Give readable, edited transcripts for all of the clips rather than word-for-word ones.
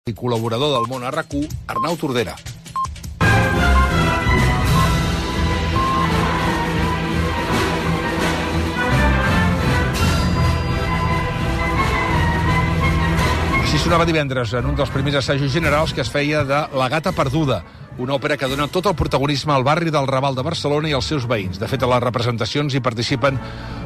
i col·laborador del Món a RAC1, Arnau Tordera. Així sonava divendres en un dels primers assajos generals que es feia de La gata perduda, una òpera que dona tot el protagonisme al barri del Raval de Barcelona i als seus veïns. De fet, a les representacions hi participen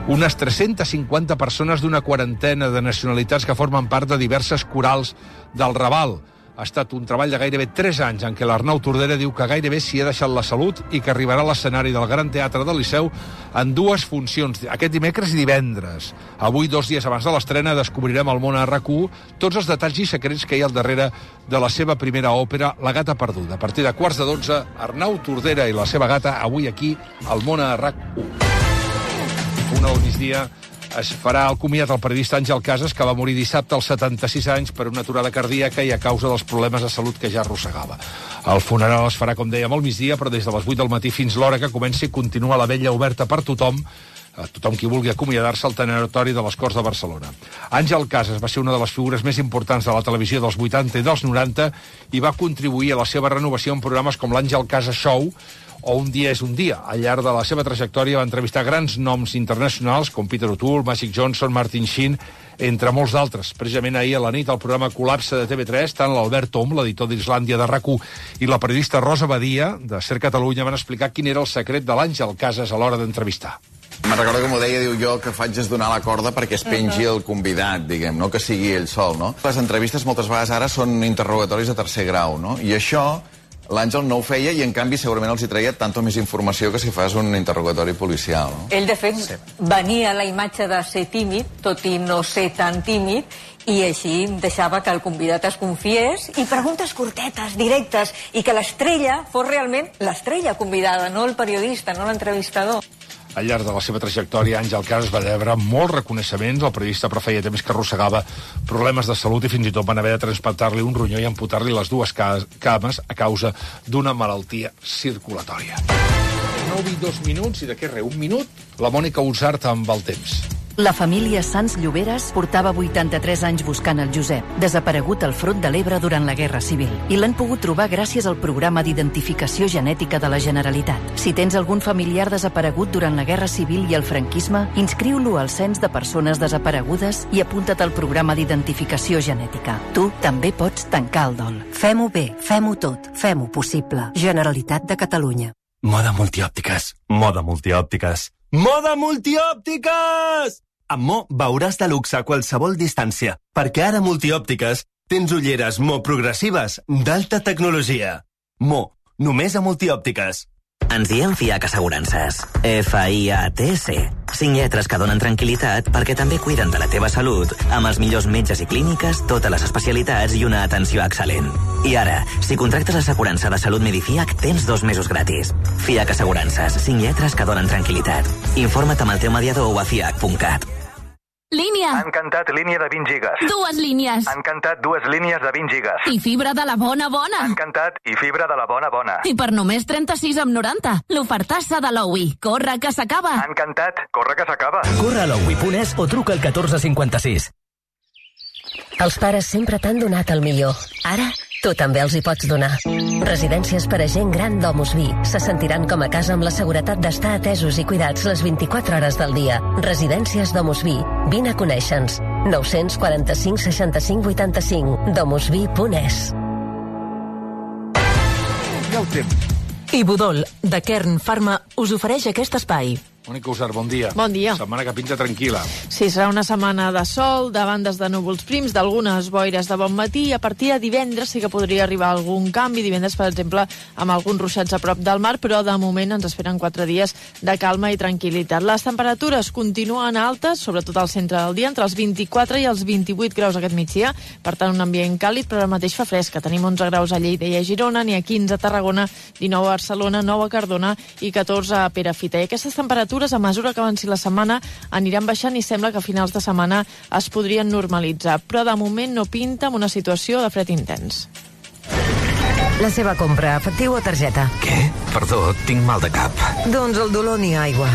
unes 350 persones d'una quarantena de nacionalitats que formen part de diverses corals del Raval. Ha estat un treball de gairebé 3 anys en què l'Arnau Tordera diu que gairebé s'hi ha deixat la salut i que arribarà a l'escenari del Gran Teatre del Liceu en 2 funcions, aquest dimecres i divendres. Avui, 2 dies abans de l'estrena, descobrirem al Món a RAC1 tots els detalls i secrets que hi ha al darrere de la seva primera òpera, La gata perduda. A partir de 11:15, Arnau Tordera i la seva gata, avui aquí, al Món a RAC1. Una al migdia es farà el comiat al periodista Àngel Casas, que va morir dissabte als 76 anys per una aturada cardíaca i a causa dels problemes de salut que ja arrossegava. El funeral es farà, com dèiem, al migdia, però des de les 8 del matí fins l'hora que comenci continua la vetlla oberta per tothom, tothom qui vulgui acomiadar-se al tanatori de les Corts de Barcelona. Àngel Casas va ser una de les figures més importants de la televisió dels 80 i dels 90 i va contribuir a la seva renovació en programes com l'Àngel Casas Show o Un dia és un dia. Al llarg de la seva trajectòria va entrevistar grans noms internacionals com Peter O'Toole, Magic Johnson, Martin Sheen, entre molts d'altres. Precisament ahir a la nit al programa Col·lapse de TV3, tant l'Albert Tom, l'editor d'Islàndia de RAC1, i la periodista Rosa Badia, de Ser Catalunya, van explicar quin era el secret de l'Àngel Casas a l'hora d'entrevistar. Me'n recordo que m'ho deia, diu, jo que faig és donar la corda perquè es pengi el convidat, diguem, no que sigui ell sol, no? Les entrevistes moltes vegades ara són interrogatoris de tercer grau, no? I això l'Àngel no ho feia i, en canvi, segurament els hi treia tanta més informació que si fas un interrogatori policial, no? Ell, de fet, venia a la imatge de ser tímid, tot i no ser tan tímid, i així deixava que el convidat es confiés i preguntes curtetes, directes, i que l'estrella fos realment l'estrella convidada, no el periodista, no l'entrevistador. Al llarg de la seva trajectòria, Àngel Casas va rebre molts reconeixements. El periodista, però, feia temps que arrossegava problemes de salut i fins i tot van haver de transplantar-li un ronyó i amputar-li les 2 cames a causa d'una malaltia circulatòria. 9 i 2 minuts, i de què res, 1 minut, la Mònica Usart amb el temps. La família Sans Lloberes portava 83 anys buscant el Josep, desaparegut al front de l'Ebre durant la Guerra Civil, i l'han pogut trobar gràcies al programa d'identificació genètica de la Generalitat. Si tens algun familiar desaparegut durant la Guerra Civil i el franquisme, inscriu-lo al cens de persones desaparegudes i apunta't al programa d'identificació genètica. Tu també pots tancar el dol. Fem-ho bé, fem-ho tot, fem-ho possible. Generalitat de Catalunya. Moda multiòptiques, moda multiòptiques, moda multiòptiques! Amb Mo veuràs de luxe a qualsevol distància, perquè ara multiòptiques tens ulleres Mo progressives d'alta tecnologia. Mo, només a multiòptiques. Ens diem FIAC Assegurances. FIATC. 5 lletres que donen tranquil·litat perquè també cuiden de la teva salut amb els millors metges i clíniques, totes les especialitats i una atenció excel·lent. I ara, si contractes l'assegurança de salut Medifiac, tens 2 mesos gratis. FIAC Assegurances. 5 lletres que donen tranquil·litat. Informa't amb el teu mediador o a fiac.cat. Línia. Han cantat línia de 20 gigas. 2 línies. Han cantat 2 línies de 20 gigas. I fibra de la bona bona. Han cantat i fibra de la bona bona. I per només 36,90. L'ofertassa de l'OUI. Corre, que s'acaba. Han cantat, corre que s'acaba. Corre a l'OUI.es o truca al 1456. Els pares sempre t'han donat el millor. Ara, tu també els hi pots donar. Residències per a gent gran d'Omus Vi se sentiran com a casa amb la seguretat d'estar atesos i cuidats les 24 hores del dia. Residències d'Omus Vi. Vine a conèixer-nos. 945 65 85. domusvi.es. I el temps. I Budol, de Kern Pharma, us ofereix aquest espai. Mònica Usart, bon dia. Bon dia. Setmana que pinta tranquil·la. Sí, serà una setmana de sol, de bandes de núvols prims, d'algunes boires de bon matí, i a partir de divendres sí que podria arribar algun canvi. Divendres, per exemple, amb alguns ruixats a prop del mar, però de moment ens esperen 4 dies de calma i tranquil·litat. Les temperatures continuen altes, sobretot al centre del dia, entre els 24 i els 28 graus aquest migdia. Per tant, un ambient càlid, però ara mateix fa fresca. Tenim 11 graus a Lleida i a Girona, n'hi ha 15 a Tarragona, 19 a Barcelona, 9 a Cardona i 14 a Perafita. I aquestes temperatures, a mesura que avanci la setmana, aniran baixant i sembla que a finals de setmana es podrien normalitzar. Però de moment no pinta amb una situació de fred intens. La seva compra, efectiu o targeta? Què? Perdó, tinc mal de cap. Doncs el dolor ni aigua.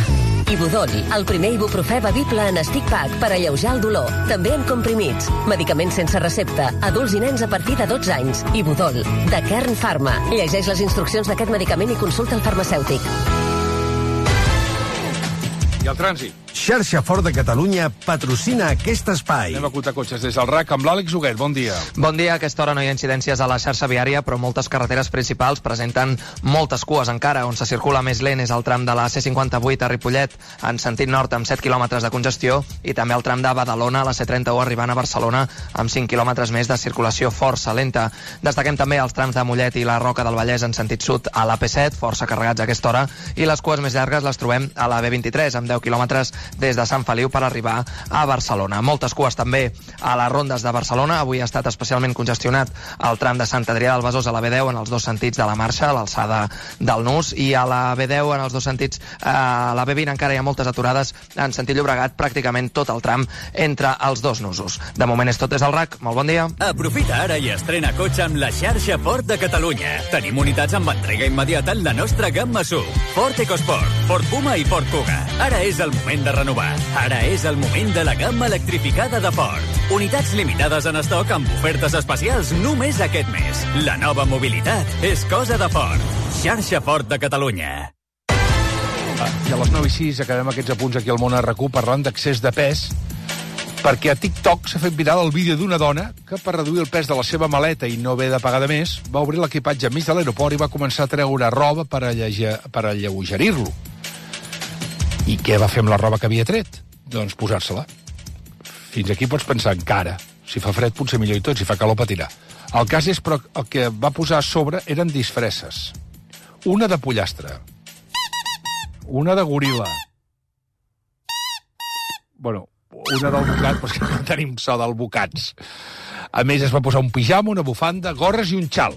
Ibudol, el primer ibuprofè bevible en stick pack per alleujar el dolor. També en comprimits. Medicaments sense recepta. Adults i nens a partir de 12 anys. Ibudol, de Kern Pharma. Llegeix les instruccions d'aquest medicament i consulta el farmacèutic. I el trànsit. Xarxa Fort de Catalunya patrocina aquest espai. Anem a acotar cotxes des del RAC amb l'Àlex Huguet. Bon dia. Bon dia. A aquesta hora no hi ha incidències a la xarxa viària, però moltes carreteres principals presenten moltes cues encara. On se circula més lent és el tram de la C58 a Ripollet, en sentit nord amb 7 quilòmetres de congestió, i també el tram de Badalona a la C31 arribant a Barcelona amb 5 quilòmetres més de circulació força lenta. Destaquem també els trams de Mollet i la Roca del Vallès en sentit sud a la P7, força carregats a aquesta hora, i les cues més llargues les trobem a la B23, amb 10 quilòmetres des de Sant Feliu per arribar a Barcelona. Moltes cues també a les rondes de Barcelona. Avui ha estat especialment congestionat el tram de Sant Adrià del Besòs a la B10 en els dos sentits de la marxa, a l'alçada del Nus, i a la B10 en els dos sentits, a la B20 encara hi ha moltes aturades en sentit Llobregat, pràcticament tot el tram entre els dos nusos. De moment és tot des del RAC. Molt bon dia. Aprofita ara i estrena cotxe amb la xarxa Ford de Catalunya. Tenim unitats amb entrega immediata en la nostra gamma SUV. Ford EcoSport, Ford Puma i Ford Kuga. Ara és el moment de renovar. Ara és el moment de la gamma electrificada de Ford. Unitats limitades en estoc amb ofertes especials només aquest mes. La nova mobilitat és cosa de Ford. Xarxa Ford de Catalunya. I a les 9:06 acabem aquests apunts aquí al Món RQ parlant d'excés de pes, perquè a TikTok s'ha fet viral el vídeo d'una dona que, per reduir el pes de la seva maleta i no haver de pagar de més, va obrir l'equipatge enmig de l'aeroport i va començar a treure roba per alleugerir-lo. I què va fer amb la roba que havia tret? Doncs posar-se-la. Fins aquí pots pensar encara. Si fa fred, potser millor i tot. Si fa calor, patirà. El cas és, però, el que va posar a sobre eren disfresses. Una de pollastre. Una de goril·la. Bueno, una del bocat, però és que no tenim so d'albocats. A més, es va posar un pijama, una bufanda, gorres i un xal.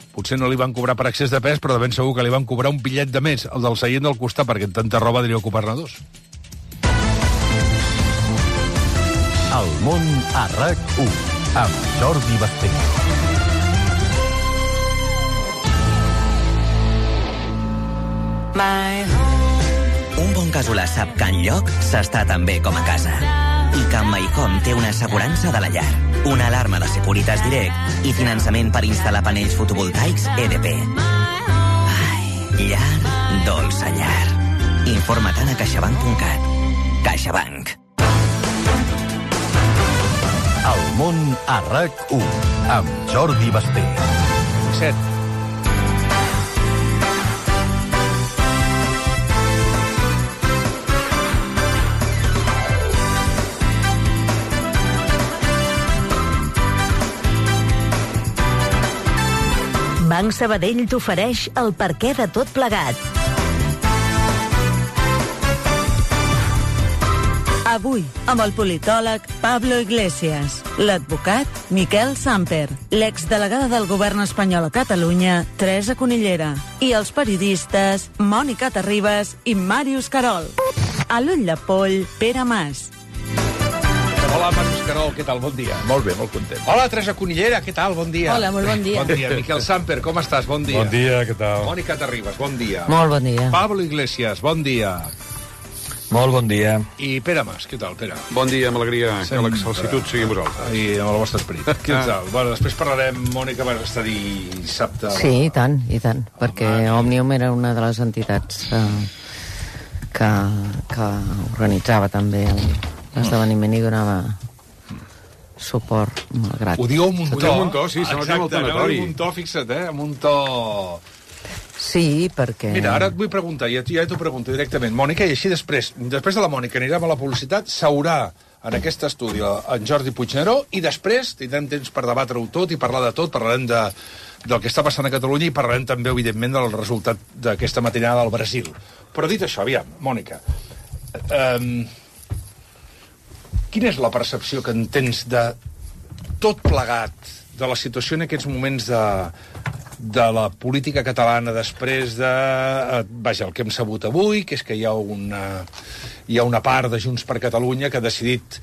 Potser no li van cobrar per excés de pes, però de ben segur que li van cobrar un bitllet de més, el del seient del costat, perquè en tanta roba diria ocupar-ne dos. El Món a RAC1, amb Jordi Basté. Un bon casolà sap que enlloc s'està tan bé com a casa. I que amb MyHome té una assegurança de la llar, una alarma de Securitas Direct i finançament per instal·lar panells fotovoltaics EDP. Ai, llar, dolça llar. Informa't a caixabank.cat. CaixaBank. El Món a RAC1, amb Jordi Basté. 7. Banc Sabadell t'ofereix el perquè de tot plegat. Avui, amb el politòleg Pablo Iglesias, l'advocat Miquel Samper, l'exdelegada del govern espanyol a Catalunya, Teresa Conillera, i els periodistes Mònica Terribas i Màrius Carol. A l'ull de poll, Pere Mas. Hola, Màrius Carol, què tal? Bon dia. Molt bé, molt content. Hola, Teresa Conillera, què tal? Bon dia. Hola, molt bon dia. Bon dia. Miquel Samper, com estàs? Bon dia. Bon dia, què tal? Mònica Terribas, bon dia. Molt bon dia. Pablo Iglesias, bon dia. Molt bon dia. I Pere Mas, què tal, Pere? Bon dia, amb alegria. Que l'excelsitud sigui amb vosaltres. I amb el vostre esperit. Què tal? Bueno, després parlarem, Mònica, vas estar dissabte... Sí, i tant, perquè Òmnium era una de les entitats que organitzava també l'esdeveniment i donava suport, malgrat. Ho diu amb un to. Ho diu amb un to, sí, sembla que molt tanatori. Amb un to, fixa't, amb un to... Sí, perquè... Mira, ara et vull preguntar, ja t'ho pregunto directament, Mònica, i així després de la Mònica anirem a la publicitat, s'haurà en aquest estudi en Jordi Puigneró, i després tindrem temps per debatre-ho tot i parlar de tot, parlarem del que està passant a Catalunya i parlarem també, evidentment, del resultat d'aquesta matinada al Brasil. Però dit això, aviam, Mònica, quina és la percepció que en tens de tot plegat, de la situació en aquests moments de la política catalana després de... Vaja, el que hem sabut avui, que és que hi ha una part de Junts per Catalunya que ha decidit,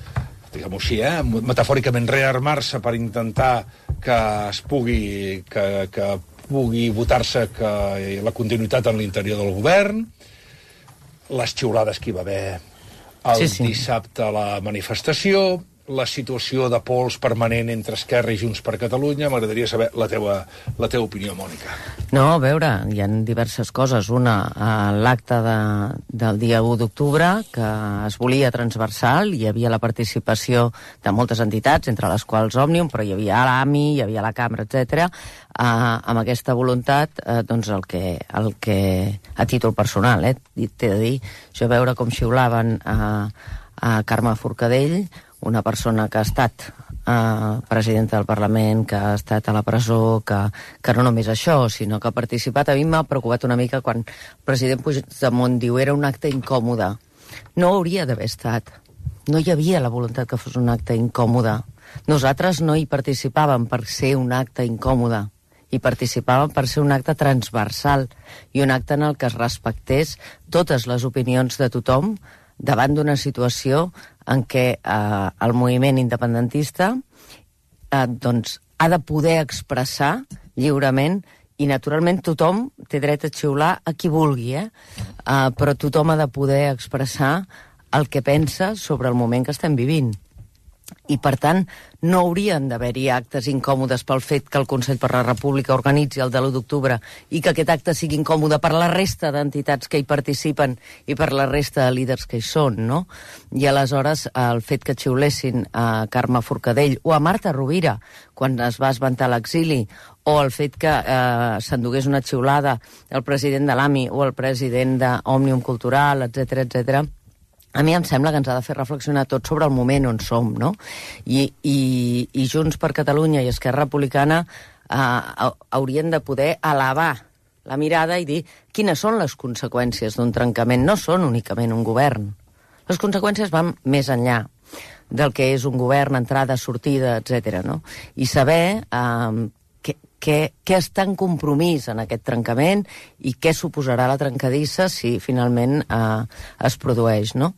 diguem-ho així, metafòricament rearmar-se per intentar que es pugui votar-se la continuïtat en l'interior del govern. les xiulades que hi va haver el dissabte a la manifestació, la situació de pols permanent entre Esquerra i Junts per Catalunya. M'agradaria saber la teva opinió, Mònica. No, a veure, hi ha diverses coses. Una, l'acte del dia 1 d'octubre, que es volia transversal, hi havia la participació de moltes entitats, entre les quals Òmnium, però hi havia l'AMI, hi havia la Cambra, etc. Amb aquesta voluntat, doncs el que a títol personal, t'he de dir, jo veure com xiulaven a Carme Forcadell, una persona que ha estat presidenta del Parlament, que ha estat a la presó, que no només això, sinó que ha participat. A mi m'ha preocupat una mica quan el president Puigdemont diu era un acte incòmode. No hauria d'haver estat. No hi havia la voluntat que fos un acte incòmode. Nosaltres no hi participàvem per ser un acte incòmode. Hi participàvem per ser un acte transversal i un acte en el que es respectés totes les opinions de tothom davant d'una situació en què el moviment independentista doncs, ha de poder expressar lliurement, i naturalment tothom té dret a xiular a qui vulgui, però tothom ha de poder expressar el que pensa sobre el moment que estem vivint. I, per tant, no haurien d'haver-hi actes incòmodes pel fet que el Consell per la República organitzi el de l'1 d'octubre i que aquest acte sigui incòmode per la resta d'entitats que hi participen i per la resta de líders que hi són, no? I aleshores el fet que xiulessin a Carme Forcadell o a Marta Rovira quan es va esventar l'exili, o el fet que s'endugués una xiulada el president de l'AMI o el president d'Òmnium Cultural, etc., a mi em sembla que ens ha de fer reflexionar tot sobre el moment on som, no? I Junts per Catalunya i Esquerra Republicana haurien de poder elevar la mirada i dir quines són les conseqüències d'un trencament. No són únicament un govern. Les conseqüències van més enllà del que és un govern, entrada, sortida, etc. no? I saber què està en compromís en aquest trencament i què suposarà la trencadissa si finalment es produeix, no?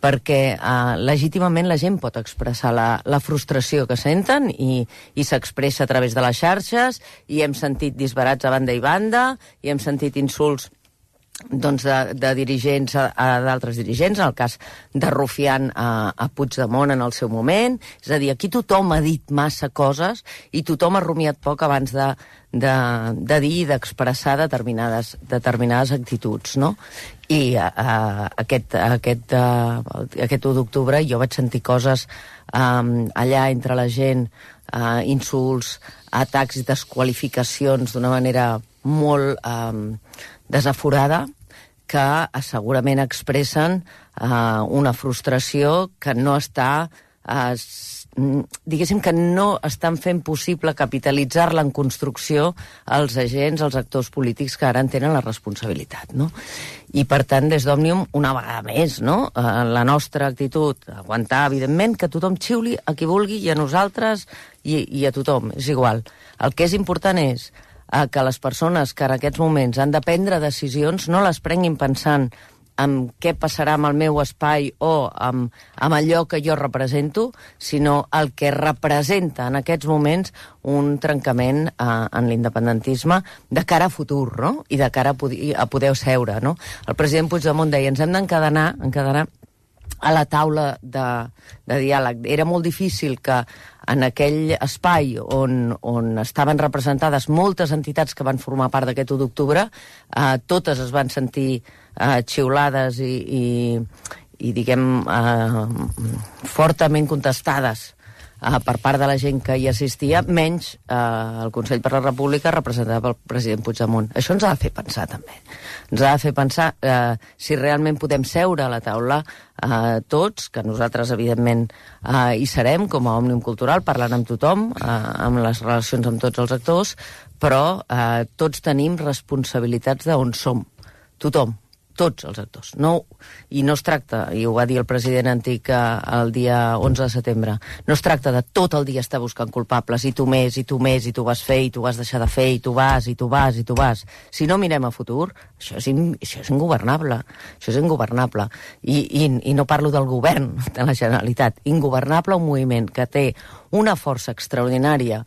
Perquè legítimament la gent pot expressar la frustració que senten i s'expressa a través de les xarxes, i hem sentit disbarats a banda i banda, i hem sentit insults doncs de dirigents a d'altres dirigents, en el cas de Rufián a Puigdemont en el seu moment. És a dir, aquí tothom ha dit massa coses i tothom ha rumiat poc abans de dir i d'expressar determinades actituds, no? I aquest 1 d'octubre jo vaig sentir coses allà entre la gent, insults, atacs i desqualificacions d'una manera molt desaforada, que segurament expressen una frustració que no està, diguéssim que no estan fent possible capitalitzar-la en construcció els agents, els actors polítics que ara en tenen la responsabilitat, no? I, per tant, des d'Òmnium, una vegada més, no? La nostra actitud, aguantar, evidentment, que tothom xiuli a qui vulgui i a nosaltres i a tothom, és igual. El que és important és que les persones que en aquests moments han de prendre decisions no les prenguin pensant en què passarà amb el meu espai o amb allò que jo represento, sinó el que representa en aquests moments un trencament en l'independentisme de cara a futur, no? I de cara a poder seure, no? El president Puigdemont deia, ens hem d'encadenar a la taula de diàleg. Era molt difícil que en aquell espai on estaven representades moltes entitats que van formar part d'aquest 1 d'octubre, totes es van sentir xiulades i diguem, fortament contestades per part de la gent que hi assistia, menys el Consell per la República representat pel president Puigdemont. Això ens ha de fer pensar, també. Ens ha de fer pensar si realment podem seure a la taula tots, que nosaltres, evidentment, hi serem, com a Òmnium Cultural, parlant amb tothom, amb les relacions amb tots els actors, però tots tenim responsabilitats d'on som. Tothom. Tots els actors. I no es tracta, i ho va dir el president antic el dia 11 de setembre, no es tracta de tot el dia estar buscant culpables, i tu més, i tu més, i tu vas fer, i tu vas deixar de fer, i tu vas, i tu vas, i tu vas. Si no mirem a futur, això és ingovernable. Això és ingovernable. I no parlo del govern de la Generalitat. Ingovernable, un moviment que té una força extraordinària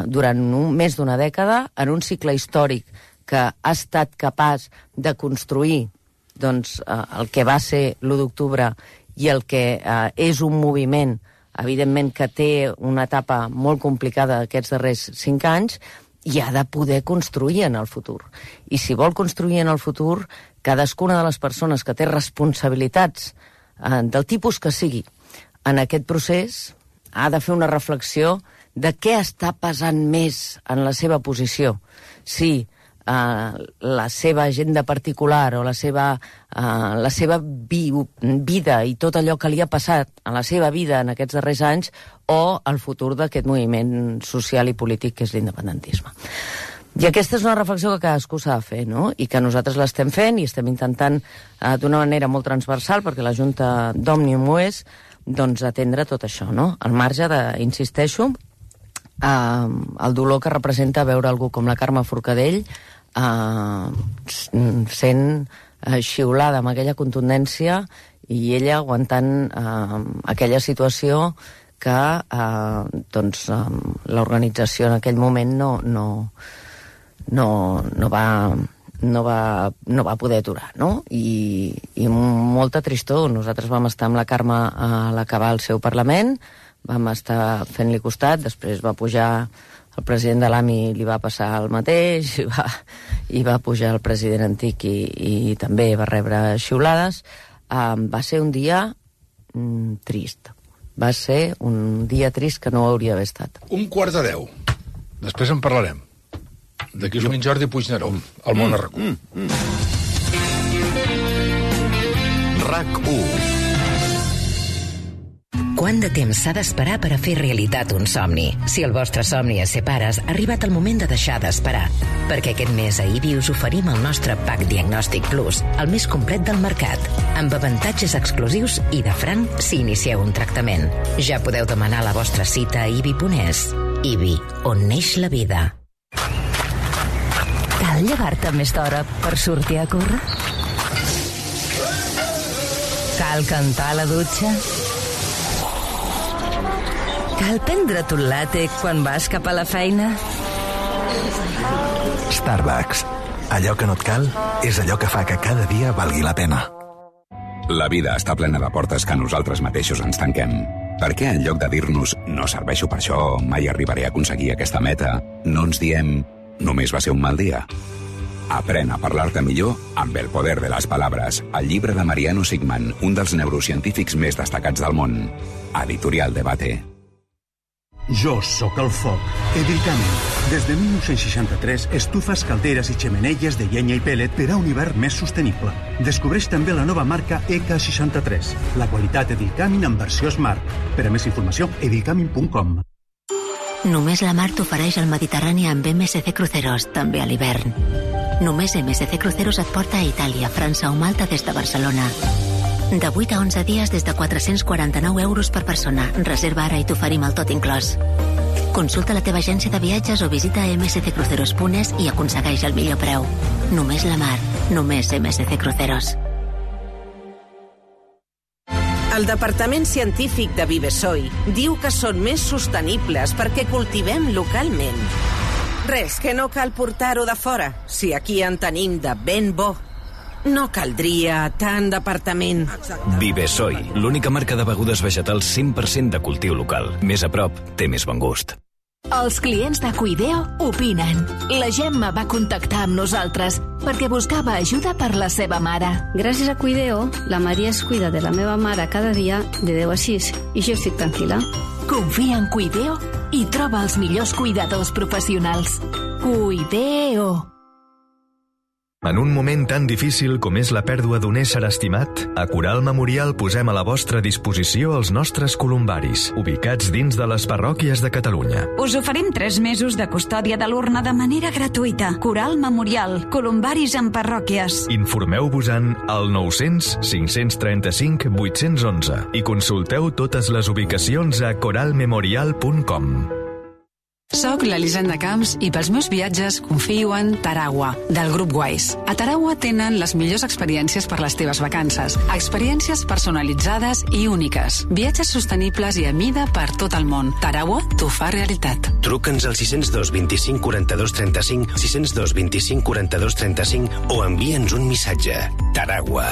durant més d'una dècada, en un cicle històric que ha estat capaç de construir doncs, el que va ser l'1 d'octubre i el que és un moviment, evidentment, que té una etapa molt complicada aquests darrers 5 anys, i ha de poder construir en el futur. I si vol construir en el futur, cadascuna de les persones que té responsabilitats del tipus que sigui en aquest procés ha de fer una reflexió de què està pesant més en la seva posició. Si la seva agenda particular o la seva vida i tot allò que li ha passat a la seva vida en aquests darrers anys o el futur d'aquest moviment social i polític que és l'independentisme. I aquesta és una reflexió que cadascú s'ha de fer, no? I que nosaltres l'estem fent i estem intentant d'una manera molt transversal, perquè la Junta d'Òmnium ho és, doncs atendre tot això, no? Al marge de, insisteixo, el dolor que representa veure algú com la Carme Forcadell sent xiulada amb aquella contundència i ella aguantant aquella situació que l'organització en aquell moment no va poder aturar, no? I molta tristor. Nosaltres vam estar amb la Carme a l'acabar el seu Parlament, vam estar fent-li costat, després va pujar el president de l'AMI, li va passar el mateix, i va pujar el president antic i també va rebre xiulades. Va ser un dia trist. Va ser un dia trist que no hauria d'haver estat. 11:45. Després en parlarem. D'aquí és un Jordi Puigneró, al món a RAC1. RAC1. Quant de temps s'ha d'esperar per a fer realitat un somni? Si el vostre somni és ser pares, ha arribat el moment de deixar d'esperar. Perquè aquest mes a IBI us oferim el nostre Pack Diagnòstic Plus, el més complet del mercat, amb avantatges exclusius i de franc si inicieu un tractament. Ja podeu demanar la vostra cita a ibi.es. IBI, on neix la vida. Cal llevar-te més d'hora per sortir a córrer? Cal cantar a la dutxa? Cal prendre't un latte quan vas cap a la feina? Starbucks. Allò que no et cal és allò que fa que cada dia valgui la pena. La vida està plena de portes que nosaltres mateixos ens tanquem. Per què en lloc de dir-nos no serveixo per això, mai arribaré a aconseguir aquesta meta, no ens diem només va ser un mal dia? Aprèn a parlar-te millor amb El poder de les paraules, el llibre de Mariano Sigman, un dels neurocientífics més destacats del món. Editorial Debate. Jo sóc el foc. Edilcamin. Des de 1963, estufes, calderes i xemeneies de llenya i pellet per a un hivern més sostenible. Descobreix també la nova marca EK63. La qualitat Edilcamin en versió Smart. Per a més informació, edilcamin.com. Només la mar t'ofereix el Mediterrani amb MSC Cruceros, també a l'hivern. Només MSC Cruceros et porta a Itàlia, França o Malta des de Barcelona. De 8 a 11 dies des de 449 euros per persona. Reserva ara i t'oferim el tot inclòs. Consulta la teva agència de viatges o visita msccruceros.es i aconsegueix el millor preu. Només la mar, només MSC Cruceros. El Departament Científic de Vivesoi diu que són més sostenibles perquè cultivem localment. Res, que no cal portar-ho de fora, si aquí en tenim de ben bo. No caldria tant departament. Vivesoi, l'única marca de begudes vegetals 100% de cultiu local. Més a prop, té més bon gust. Els clients de Cuideo opinen. La Gemma va contactar amb nosaltres perquè buscava ajuda per la seva mare. Gràcies a Cuideo, la Maria es cuida de la meva mare cada dia de 10 a 6 i jo estic tranquil·la. Confia en Cuideo i troba els millors cuidadors professionals. Cuideo. En un moment tan difícil com és la pèrdua d'un ésser estimat, a Coral Memorial posem a la vostra disposició els nostres columbaris, ubicats dins de les parròquies de Catalunya. Us oferim 3 mesos de custòdia de l'urna de manera gratuïta. Coral Memorial, columbaris en parròquies. Informeu-vos-en al 900 535 811 i consulteu totes les ubicacions a coralmemorial.com. Soc l'Elisenda Camps i pels meus viatges confio en Taragua, del grup Wise. A Taragua tenen les millors experiències per les teves vacances. Experiències personalitzades i úniques. Viatges sostenibles i a mida per tot el món. Taragua t'ho fa realitat. Truca'ns al 602 25 42 35, 602 25 42 35 o envia'ns un missatge. Taragua.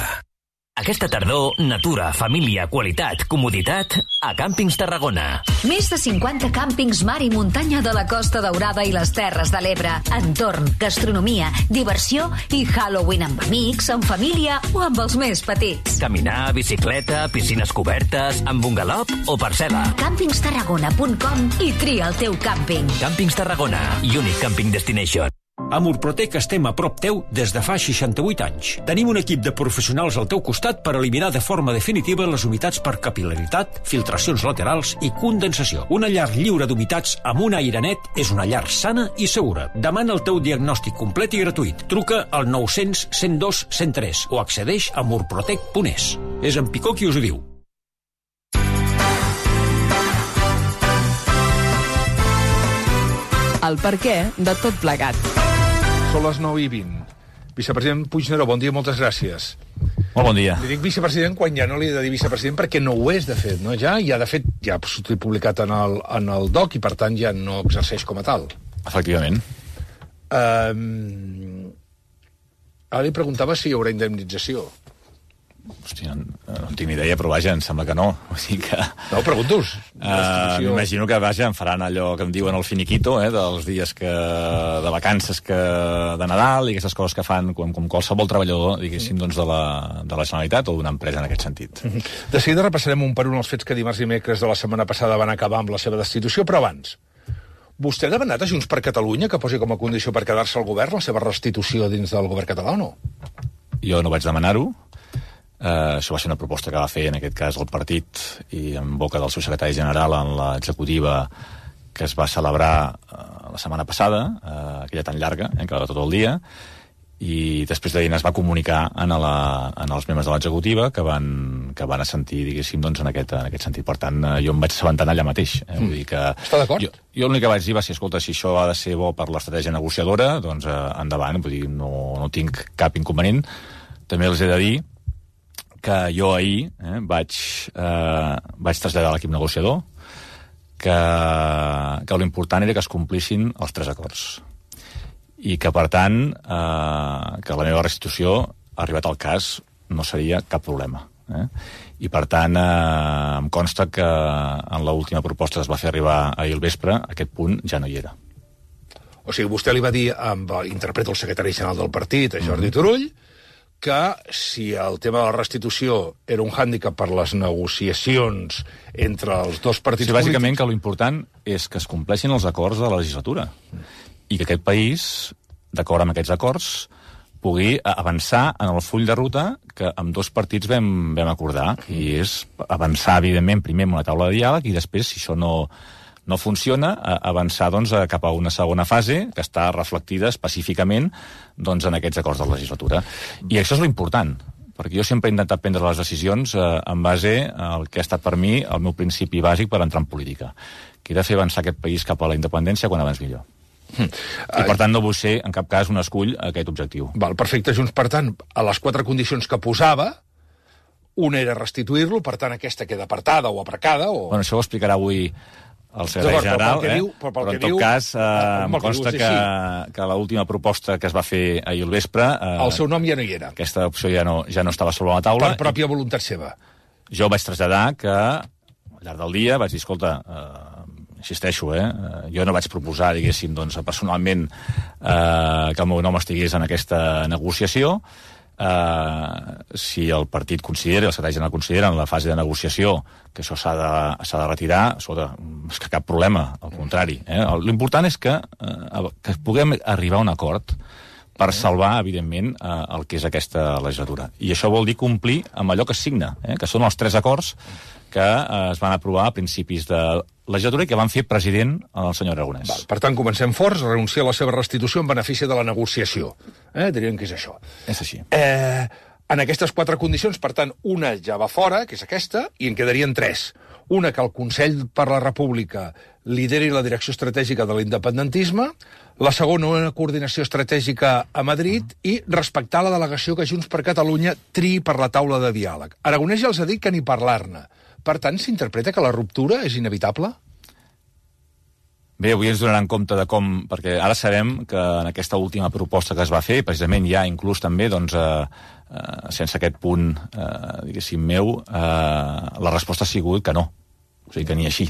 Aquesta tardor, natura, família, qualitat, comoditat a Càmpings Tarragona. Més de 50 càmpings mar i muntanya de la Costa Daurada i les Terres de l'Ebre. Entorn, gastronomia, diversió i Halloween amb amics, amb família o amb els més petits. Caminar, bicicleta, piscines cobertes, amb bungalop o parcel·la. Càmpingstarragona.com i tria el teu càmping. Càmpings Tarragona, Unique Camping Destination. A Murprotec estem a prop teu des de fa 68 anys. Tenim un equip de professionals al teu costat per eliminar de forma definitiva les humitats per capil·laritat, filtracions laterals i condensació. Una llar lliure d'humitats amb un aire net és una llar sana i segura. Demana el teu diagnòstic complet i gratuït. Truca al 900 102 103 o accedeix a murprotec.es. És en Picó qui us ho diu. El perquè de tot plegat. Són les 9:20. Vicepresident Puigneró, bon dia, moltes gràcies. Molt bon dia. Li dic vicepresident quan ja no li he de dir vicepresident perquè no ho és, de fet, no? Ja de fet, ja ha sortit publicat en el DOC i, per tant, ja no exerceix com a tal. Efectivament. Ara li preguntava si hi haurà indemnització. Hòstia, no en tinc ni idea, però vaja, em sembla que no. O sigui que... No, pregunto-us. M'imagino que, vaja, em faran allò que em diuen el finiquito, dels dies de vacances de Nadal i aquestes coses que fan com qualsevol treballador, diguéssim, doncs, de la Generalitat o d'una empresa en aquest sentit. De seguida repassarem un per un els fets que dimarts i dimecres de la setmana passada van acabar amb la seva destitució, però abans, vostè ha demanat a Junts per Catalunya que posi com a condició per quedar-se al govern la seva restitució dins del govern català o no? Jo no vaig demanar-ho. Això va ser una proposta que va fer, en aquest cas, el partit i en boca del seu secretari general en l'executiva que es va celebrar la setmana passada, aquella tan llarga, que va tot el dia, i després d'ahir es va comunicar als membres de l'executiva que van assentir, diguéssim, doncs, en aquest sentit. Per tant, jo em vaig assabentar allà mateix. Vull dir que està d'acord? Jo l'únic que vaig dir va ser, escolta, si això ha de ser bo per l'estratègia negociadora, doncs endavant, vull dir, no tinc cap inconvenient. També els he de dir que jo ahir vaig traslladar a l'equip negociador que l'important era que es complissin els 3 acords i que, per tant, que la meva restitució, arribat al cas, no seria cap problema. I, per tant, em consta que en l'última proposta que es va fer arribar ahir al vespre, aquest punt ja no hi era. O sigui, vostè li va dir, interpreto el secretari general del partit, a Jordi Turull, que si el tema de la restitució era un hàndicap per les negociacions entre els dos partits polítics... Bàsicament que l'important és que es compleixin els acords de la legislatura i que aquest país, d'acord amb aquests acords, pugui avançar en el full de ruta que amb 2 partits vam acordar, i és avançar, evidentment, primer en una taula de diàleg i després, si això no funciona, avançar doncs, cap a una segona fase que està reflectida específicament doncs, en aquests acords de la legislatura. I això és l'important, perquè jo sempre he intentat prendre les decisions en base al que ha estat per mi el meu principi bàsic per entrar en política, que era fer avançar aquest país cap a la independència quan abans millor. I, per tant, no vull ser, en cap cas, un escull a aquest objectiu. Val, perfecte, Junts, per tant, a les 4 condicions que posava, una era restituir-lo, per tant, aquesta queda apartada o aprecada, o... Bueno, això ho explicarà avui el secretari general, però en tot cas em consta que l'última proposta que es va fer ahir al vespre... El seu nom ja no hi era. Aquesta opció ja no estava sobre la taula. Per pròpia voluntat seva. Jo vaig traslladar que, al llarg del dia, vaig dir, escolta, insisteixo, jo no vaig proposar, diguéssim, doncs, personalment que el meu nom estigués en aquesta negociació. Si el partit considera, el secretari general considera en la fase de negociació que això s'ha de retirar, és que cap problema, al contrari. L'important és que puguem arribar a un acord per salvar, evidentment, el que és aquesta legislatura. I això vol dir complir amb allò que es signa, que són els 3 acords que es van aprovar a principis de legislatura i que van fer president el senyor Aragonès. Per tant, comencem forts, renunciar a la seva restitució en benefici de la negociació. Diríem que és això. És així. En aquestes 4 condicions, per tant, una ja va fora, que és aquesta, i en quedarien 3. Una, que el Consell per la República lideri la direcció estratègica de l'independentisme, la segona, una coordinació estratègica a Madrid, i respectar la delegació que Junts per Catalunya triï per la taula de diàleg. Aragonès ja els ha dit que ni parlar-ne. Per tant, s'interpreta que la ruptura és inevitable? Bé, avui ens donaran compte de com, perquè ara sabem que en aquesta última proposta que es va fer, precisament ja inclús també, doncs, sense aquest punt, diguéssim, meu, la resposta ha sigut que no. O sigui, que ni així.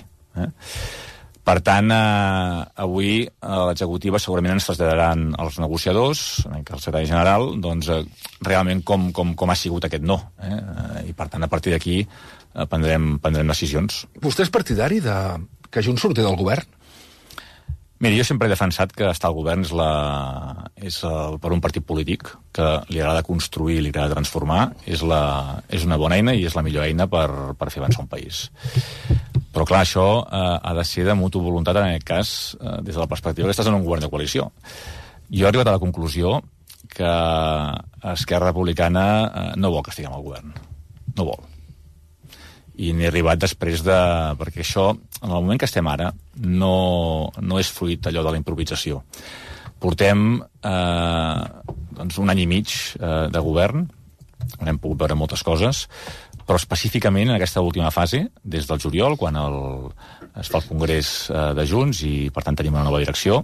Per tant, avui l'executiva segurament ens traslladaran als negociadors, el secretari general, doncs, realment com ha sigut aquest no. I, per tant, a partir d'aquí prendrem decisions. Vostè és partidari de que Junts surti del govern? Mira, jo sempre he defensat que estar al govern és per un partit polític que li agrada construir, li agrada transformar, és una bona eina i és la millor eina per fer avançar un país. Però, clar, això ha de ser de mutu voluntat, en aquest cas, des de la perspectiva que estàs en un govern de coalició. Jo he arribat a la conclusió que Esquerra Republicana no vol que estiguem al govern. No vol. I n'he arribat després de... Perquè això, en el moment que estem ara, no és fruit allò de la improvisació. Portem doncs un any i mig de govern, on hem pogut veure moltes coses, però específicament en aquesta última fase, des del juliol, quan es fa el congrés de Junts i, per tant, tenim una nova direcció,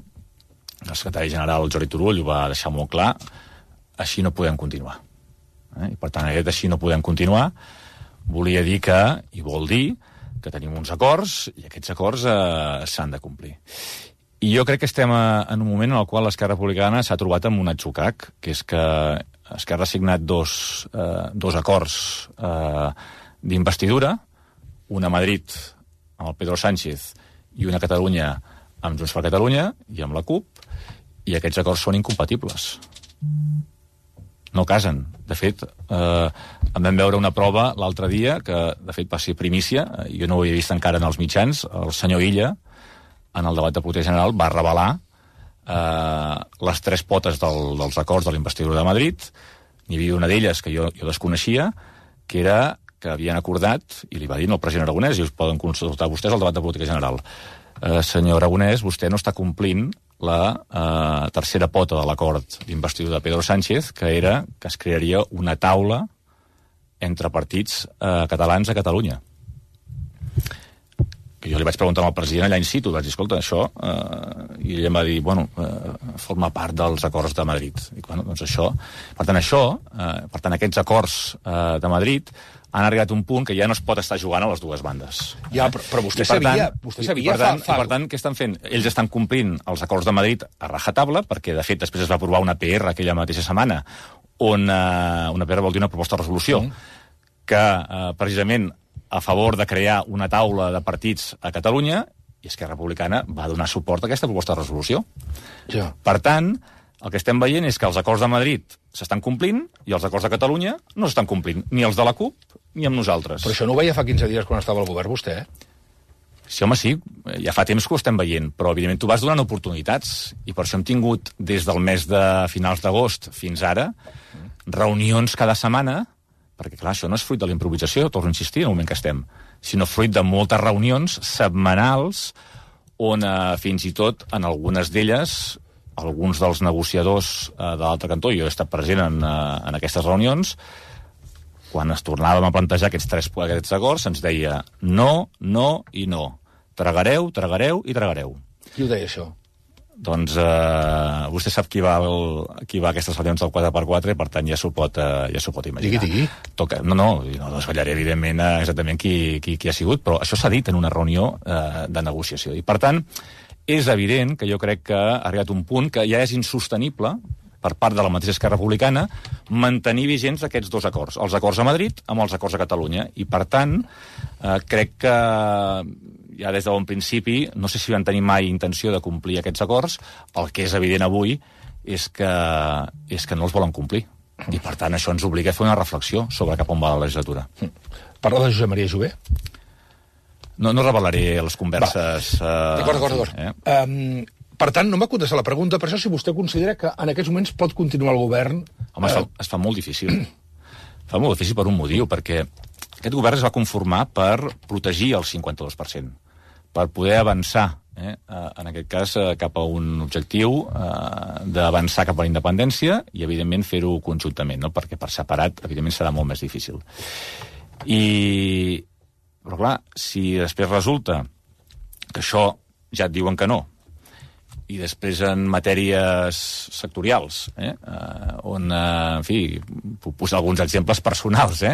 el secretari general Jordi Turull ho va deixar molt clar, així no podem continuar. I, per tant, aquest així no podem continuar volia dir que, i vol dir, que tenim uns acords i aquests acords s'han de complir. I jo crec que estem en un moment en el qual l'Esquerra Republicana s'ha trobat amb un atzucac, que és que Esquerra ha signat dos acords d'investidura, una a Madrid amb el Pedro Sánchez i una a Catalunya amb Junts per Catalunya i amb la CUP, i aquests acords són incompatibles. No casen. De fet, en vam veure una prova l'altre dia, que de fet va ser primícia, jo no ho havia vist encara en els mitjans, el senyor Illa, en el debat de política general, va revelar les 3 potes dels acords de l'investidura de Madrid. N'hi havia una d'elles que jo desconeixia, que era que havien acordat, i li va dir al president Aragonès, i us poden consultar vostès al debat de política general, senyor Aragonès, vostè no està complint la tercera pota de l'acord d'investidura de Pedro Sánchez, que era que es crearia una taula entre partits catalans a Catalunya. Que jo li vaig preguntar al president allà in situ, vaig dir, escolta, això, i ell em va dir, bueno, forma part dels acords de Madrid. I, bueno, doncs això... Per tant, aquests acords de Madrid han arribat a un punt que ja no es pot estar jugant a les dues bandes. Ja, però vostè sabia... Per tant, què estan fent? Ells estan complint els acords de Madrid a rajatabla, perquè, de fet, després es va aprovar una PR aquella mateixa setmana, on una PR vol dir una proposta de resolució, que, precisament, a favor de crear una taula de partits a Catalunya, i Esquerra Republicana va donar suport a aquesta proposta de resolució. Ja. Per tant, el que estem veient és que els acords de Madrid s'estan complint i els acords de Catalunya no s'estan complint, ni els de la CUP ni amb nosaltres. Però això no ho veia fa 15 dies quan estava al govern, vostè, Sí, home, sí, ja fa temps que ho estem veient, però evidentment tu vas donant oportunitats, i per això hem tingut, des del mes de finals d'agost fins ara, reunions cada setmana, perquè clar, això no és fruit de la improvisació, torno a insistir, en el moment que estem, sinó fruit de moltes reunions setmanals, on fins i tot, en algunes d'elles, alguns dels negociadors de l'altre cantó, jo he estat present en aquestes reunions, quan es tornàvem a plantejar aquests acords, se'ns deia no, no i no. Tragareu, tragareu i tragareu. Qui ho deia, això? Doncs vostè sap qui va a aquestes reunions del 4x4, per tant ja s'ho pot imaginar. Digui. No desvetllaré evidentment exactament qui ha sigut, però això s'ha dit en una reunió de negociació. I per tant, és evident que jo crec que ha arribat un punt que ja és insostenible per part de la mateixa Esquerra Republicana mantenir vigents aquests dos acords, els acords a Madrid amb els acords a Catalunya. I per tant, crec que ja des de bon principi, no sé si van tenir mai intenció de complir aquests acords, el que és evident avui és que no els volen complir. I per tant això ens obliga a fer una reflexió sobre cap on va la legislatura. Parla de Josep Maria Jové? No revelaré les converses... D'acord. Per tant, no m'ha contestat la pregunta, per això si vostè considera que en aquests moments pot continuar el govern... Home, es fa molt difícil. fa molt difícil per un motiu, perquè aquest govern es va conformar per protegir el 52%, per poder avançar, en aquest cas, cap a un objectiu d'avançar cap a la independència i, evidentment, fer-ho conjuntament, no? Perquè per separat, evidentment, serà molt més difícil. Però, clar, si després resulta que això ja et diuen que no, i després en matèries sectorials, on, en fi, puc posar alguns exemples personals,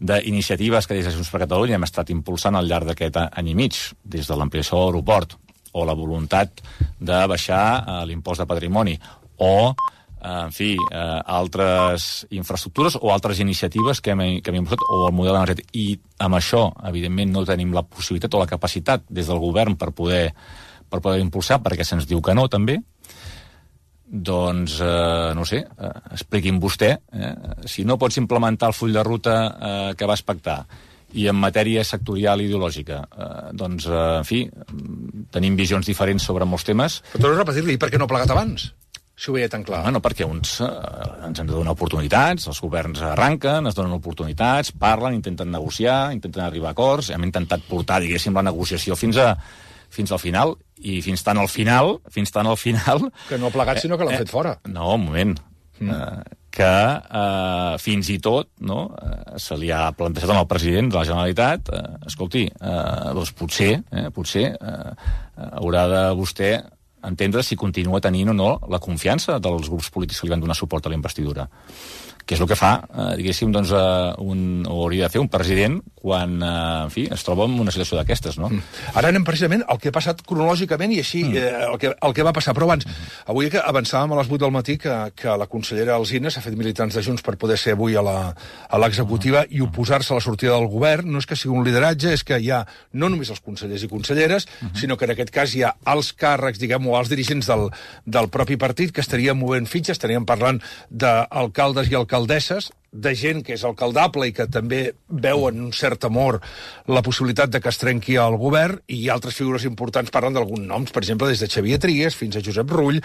d'iniciatives que des de Junts per Catalunya hem estat impulsant al llarg d'aquest any i mig, des de l'ampliació de l'aeroport, o la voluntat de baixar l'impost de patrimoni, o, en fi, altres infraestructures o altres iniciatives que hem impulsat, o el model energètic. I amb això, evidentment, no tenim la possibilitat o la capacitat des del govern per poder impulsar, perquè se'ns diu que no, també. Doncs, no sé, expliqui'm vostè, si no pots implementar el full de ruta que vas pactar, i en matèria sectorial i ideològica, doncs, en fi, tenim visions diferents sobre molts temes. Però torno a repetir-li, per què no ha plegat abans? Si ho veia tan clar. No, perquè uns ens han de donar oportunitats, els governs arranquen, es donen oportunitats, parlen, intenten negociar, intenten arribar a acords, hem intentat portar, diguéssim, la negociació fins al final, i fins tant al final... Que no ha plegat, sinó que l'han fet fora. No, un moment. Que fins i tot se li ha plantejat al president de la Generalitat, escolti, doncs potser haurà de vostè entendre si continua tenint o no la confiança dels grups polítics que li van donar suport a la investidura, que és el que fa, diguéssim, doncs, o hauria de fer un president quan, en fi, es troba en una situació d'aquestes, no? Ara anem precisament al que ha passat cronològicament i així, el que va passar. Però abans, avui que avançàvem a les 8 del matí que la consellera Alsina s'ha fet militants de Junts per poder ser avui a l'executiva i oposar-se a la sortida del govern. No és que sigui un lideratge, és que hi ha no només els consellers i conselleres, sinó que en aquest cas hi ha els càrrecs, diguem, o els dirigents del propi partit que estarien movent fitxes, estaríem parlant d'alcaldes i alcaldesses, de gent que és alcaldable i que també veuen un cert amor la possibilitat de que es trenqui el govern, i altres figures importants parlen d'alguns noms, per exemple, des de Xavier Trias fins a Josep Rull,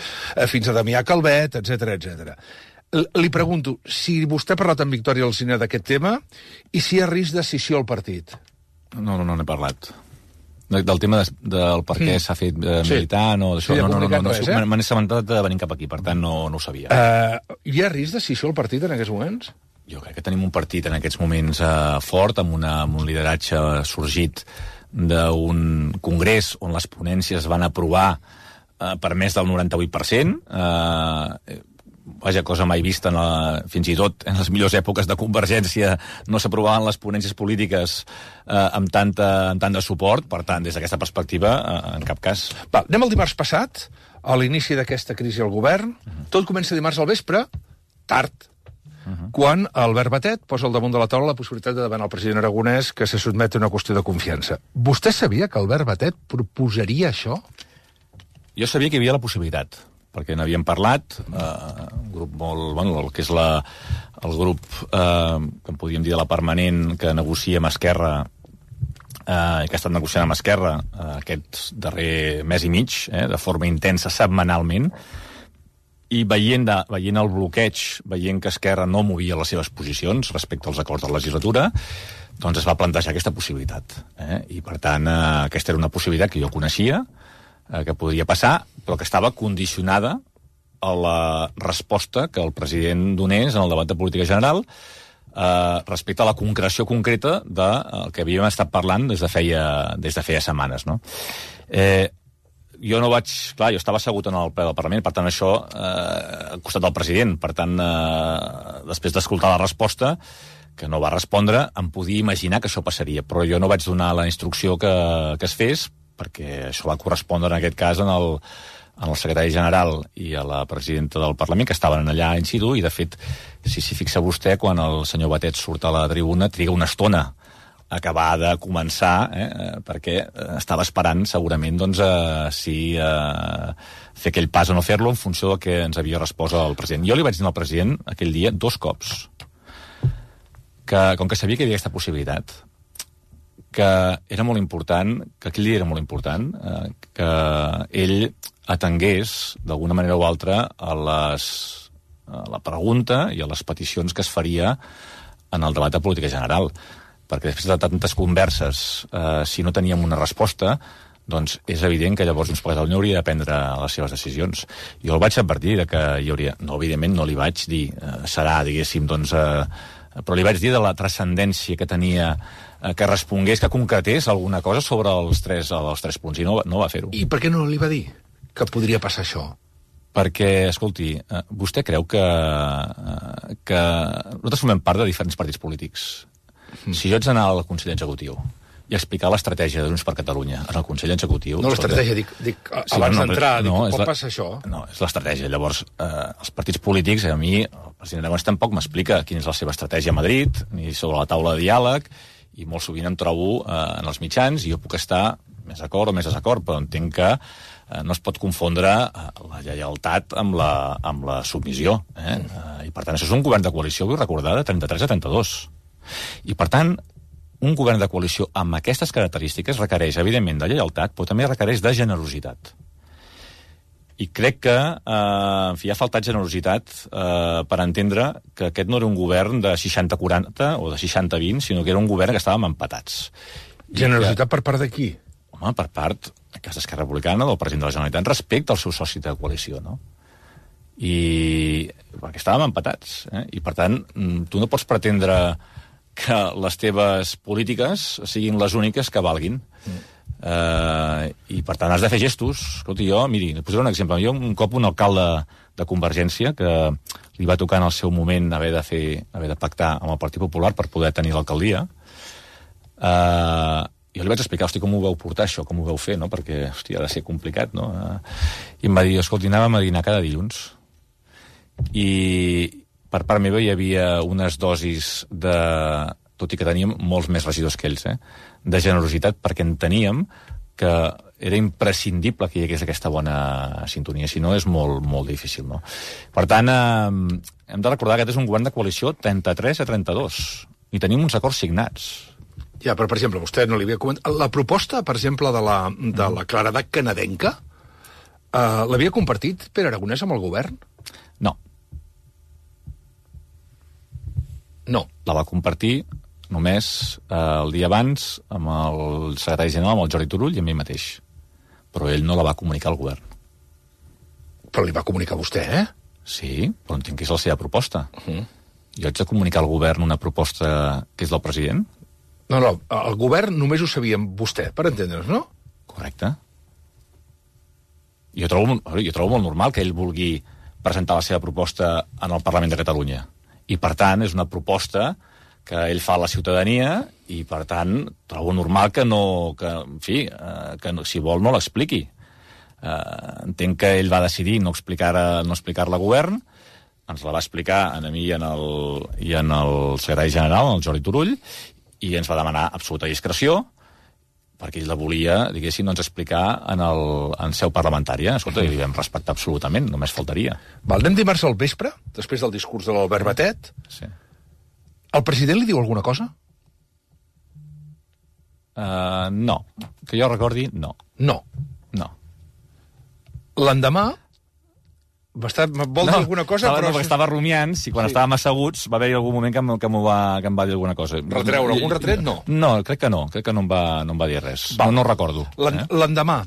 fins a Damià Calvet, etc. Li pregunto, si vostè ha parlat amb Victòria Alsina d'aquest tema i si hi ha risc de scissió al partit? No n'he parlat. Del tema del per què s'ha fet militant o d'això, me n'he assabentat de venir cap aquí, per tant no ho sabia. Hi ha risc de scissió al partit en aquests moments? Jo crec que tenim un partit en aquests moments fort, amb un lideratge sorgit d'un congrés on les ponències van aprovar per més del 98%, vaja, cosa mai vista, fins i tot en les millors èpoques de Convergència no s'aprovaven les ponències polítiques amb tant de suport. Per tant, des d'aquesta perspectiva, en cap cas. Anem al dimarts passat, a l'inici d'aquesta crisi al govern. Tot comença dimarts al vespre, tard, quan Albert Batet posa al damunt de la taula la possibilitat de demanar al president aragonès que se sotmeti a una qüestió de confiança. Vostè sabia que Albert Batet proposaria això? Jo sabia que hi havia la possibilitat, perquè n'havíem parlat, un grup molt... Bueno, el que és el grup, que en podríem dir de la permanent, que negocia amb Esquerra, que ha estat negociant amb Esquerra aquest darrer mes i mig, de forma intensa, setmanalment, i veient el bloqueig, veient que Esquerra no movia les seves posicions respecte als acords de la legislatura, doncs es va plantejar aquesta possibilitat. I, per tant, aquesta era una possibilitat que jo coneixia, que podria passar, però que estava condicionada a la resposta que el president donés en el debat de política general respecte a la concreció concreta del que havíem estat parlant des de feia setmanes, no? Jo no vaig... Clar, jo estava assegut en el ple del Parlament, per tant, això al costat del president. Per tant, després d'escoltar la resposta, que no va respondre, em podia imaginar que això passaria. Però jo no vaig donar la instrucció que es fes, perquè això va correspondre, en aquest cas, en el secretari general i a la presidenta del Parlament, que estaven allà in situ, i, de fet, si s'hi fixa vostè, quan el senyor Batet surt a la tribuna, triga una estona acabar de començar, perquè estava esperant segurament doncs, si fer aquell pas o no fer-lo en funció del que ens havia respost el president. Jo li vaig dir al president aquell dia 2 cops que, com que sabia que hi havia aquesta possibilitat, que era molt important, que aquell dia era molt important, que ell atengués d'alguna manera o altra a la pregunta i a les peticions que es faria en el debat de política general, perquè després de tantes converses, si no teníem una resposta, doncs és evident que llavors Junts per Catalunya hauria de prendre les seves decisions. Jo el vaig advertir que hi hauria... No, evidentment no li vaig dir, serà, diguéssim, doncs... però li vaig dir de la transcendència que tenia, que respongués, que concretés alguna cosa sobre els tres punts, i no va fer-ho. I per què no li va dir que podria passar això? Perquè, escolti, vostè creu que nosaltres formem part de diferents partits polítics. Si jo haig d'anar al Consell Executiu i explicar l'estratègia de Junts per Catalunya en el Consell Executiu... No, l'estratègia, dic abans d'entrar, com passa això? No, és l'estratègia. Llavors, els partits polítics, a mi, el president Aragonès tampoc m'explica quina és la seva estratègia a Madrid, ni sobre la taula de diàleg, i molt sovint em trobo en els mitjans, i jo puc estar més d'acord o més desacord, però entenc que no es pot confondre la lleialtat amb la submissió. I, per tant, això és un govern de coalició, vull recordar, de 33 a 32. I, per tant, un govern de coalició amb aquestes característiques requereix, evidentment, de lleialtat, però també requereix de generositat. I crec que en fi, ha faltat generositat per entendre que aquest no era un govern de 60-40 o de 60-20, sinó que era un govern que estàvem empatats. Generositat per part de qui? Home, per part, en cas d'Esquerra Republicana, del president de la Generalitat, respecte al seu soci de coalició, no? I perquè estàvem empatats, i per tant, tu no pots pretendre que les teves polítiques siguin les úniques que valguin. I, per tant, has de fer gestos. Escolti, jo, miri, posaré un exemple. Jo, un cop, un alcalde de Convergència, que li va tocar en el seu moment haver de pactar amb el Partit Popular per poder tenir l'alcaldia, jo li vaig explicar, hosti, com ho vau portar, això, com ho vau fer, no? Perquè, hosti, ha de ser complicat, no? I em va dir, escolti, anàvem a dinar cada dilluns. I per part meva hi havia unes dosis de... tot i que teníem molts més regidors que ells, de generositat, perquè enteníem que era imprescindible que hi hagués aquesta bona sintonia, si no és molt, molt difícil, no? Per tant, hem de recordar que aquest és un govern de coalició 33 a 32, i tenim uns acords signats. Ja, però, per exemple, vostè no li havia comentat... La proposta, per exemple, de la claredat canadenca, l'havia compartit Pere Aragonès amb el govern? No. No. La va compartir només el dia abans amb el secretari general, amb el Jordi Turull, i amb ell mateix. Però ell no la va comunicar al govern. Però li va comunicar vostè, Sí, però entenc que és la seva proposta. Jo haig de comunicar al govern una proposta que és del president? No, el govern només ho sabia vostè, per entendre's, no? Correcte. Jo trobo molt normal que ell vulgui presentar la seva proposta en el Parlament de Catalunya. I, per tant, és una proposta que ell fa a la ciutadania i, per tant, trobo normal que si vol no l'expliqui. Entenc que ell va decidir no explicar-la a govern, ens la va explicar a mi i en el secretari general, el Jordi Turull, i ens va demanar absoluta discreció, perquè ell la volia, diguéssim, doncs, explicar en seu parlamentària. Escolta, i li vam respectar absolutament, només faltaria. Anem dimarts al vespre, després del discurs de l'Albert Batet. Sí. El president li diu alguna cosa? No. Que jo recordi, no. No. L'endemà vol dir alguna cosa, però... No, perquè estava rumiant, i quan estàvem asseguts va haver-hi algun moment que em va dir alguna cosa. Algun retret? No. No, crec que no em va dir res. No recordo. L'endemà,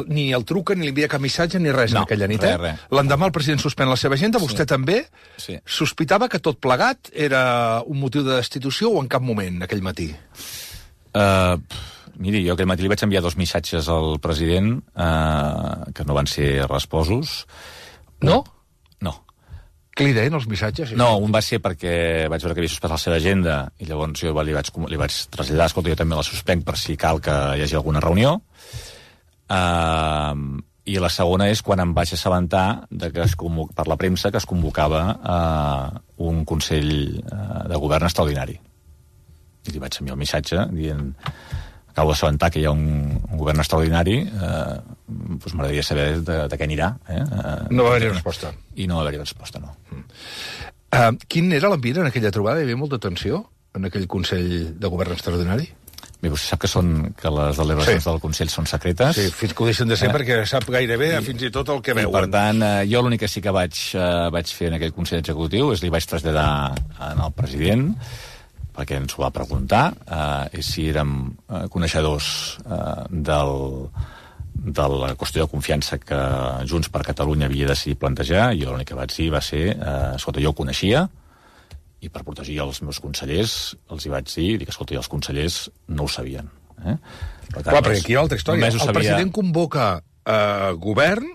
ni el truca, ni li envia cap missatge, ni res en aquella nit. L'endemà el president suspèn la seva agenda, vostè també sospitava que tot plegat era un motiu de destitució o en cap moment, aquell matí? Miri, jo aquell matí li vaig enviar 2 missatges al president que no van ser resposos. No? No. Què li deien els missatges? No, un va ser perquè vaig veure que havia suspès la seva agenda i llavors jo li vaig traslladar, escolta, jo també la suspenc per si cal que hi hagi alguna reunió. I la segona és quan em vaig assabentar per la premsa que es convocava un Consell de Govern extraordinari. I li vaig enviar un missatge dient... Acabo d'assabentar que hi ha un govern extraordinari, doncs m'agradaria saber de què anirà. No va haver-hi resposta. I no va haver-hi resposta, no. Quin era l'ambient en aquella trobada? Hi havia molta tensió en aquell Consell de Govern extraordinari? Bé, vostè sap que les deliberacions del Consell són secretes. Sí, fins que ho deixen de ser perquè sap gairebé fins i tot el que veuen. I per tant, jo l'únic que sí que vaig fer en aquell Consell Executiu és li vaig traslladar al president perquè ens ho va preguntar, si érem coneixedors de la qüestió de confiança que Junts per Catalunya havia decidit plantejar. Jo l'únic que vaig dir va ser, escolta, jo ho coneixia, i per protegir els meus consellers els hi vaig dir, escolta, els consellers no ho sabien. Per tant, clar, perquè aquí hi ha altra història. El president convoca govern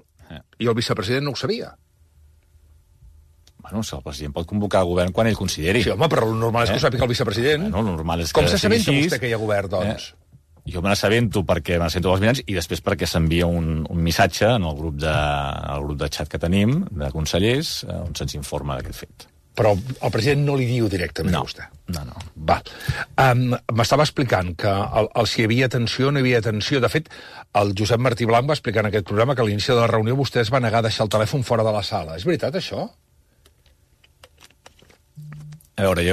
i el vicepresident no ho sabia. Bueno, el president pot convocar el govern quan ell consideri. Sí, home, però el normal és que ho sàpiga el vicepresident. Bueno, el normal és que com s'assabenta vostè que hi ha govern, doncs? Jo me n'assabento perquè me n'assabento dels mitjans i després perquè s'envia un missatge en el grup de xat que tenim, de consellers, on se'ns informa d'aquest fet. Però el president no li diu directament a vostè? No. Va. M'estava explicant que si hi havia tensió o no hi havia tensió. De fet, el Josep Martí Blanc va explicar en aquest programa que a l'inici de la reunió vostè es va negar a deixar el telèfon fora de la sala. És veritat, això? A veure,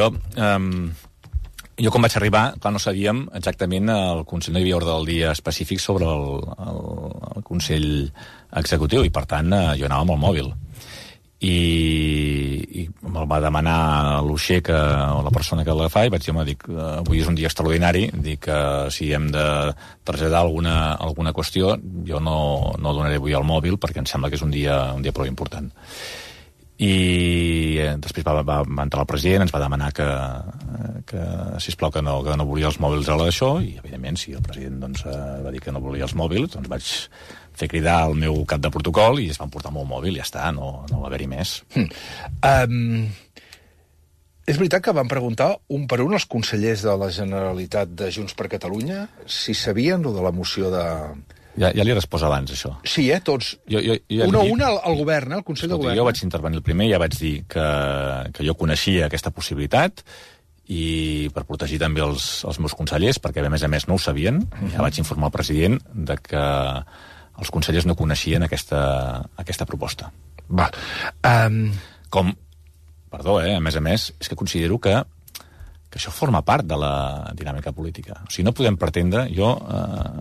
jo quan vaig arribar, clar, no sabíem exactament, el Consell no hi havia ordre del dia específic sobre el Consell Executiu, i per tant jo anava amb el mòbil. I me'l va demanar l'Uixer, o la persona que l'agafava, i vaig dir, home, avui és un dia extraordinari, dic que si hem de traslladar alguna qüestió, jo no donaré avui el mòbil, perquè em sembla que és un dia prou important. I després va entrar el president, ens va demanar que sisplau, que no volia els mòbils a d'això, i evidentment si el president va dir que no volia els mòbils, doncs vaig fer cridar el meu cap de protocol i es van portar el meu mòbil i ja està, no va haver-hi més. És veritat que van preguntar un per un els consellers de la Generalitat de Junts per Catalunya si sabien lo de la moció de... Ja li he respost abans, això. Sí, tots. Una al govern, al Consell de Govern. Jo vaig intervenir el primer i ja vaig dir que jo coneixia aquesta possibilitat i per protegir també els meus consellers, perquè a més no ho sabien, ja vaig informar el president de que els consellers no coneixien aquesta proposta. Va. Perdó, a més, és que considero que això forma part de la dinàmica política. O sigui, no podem pretendre...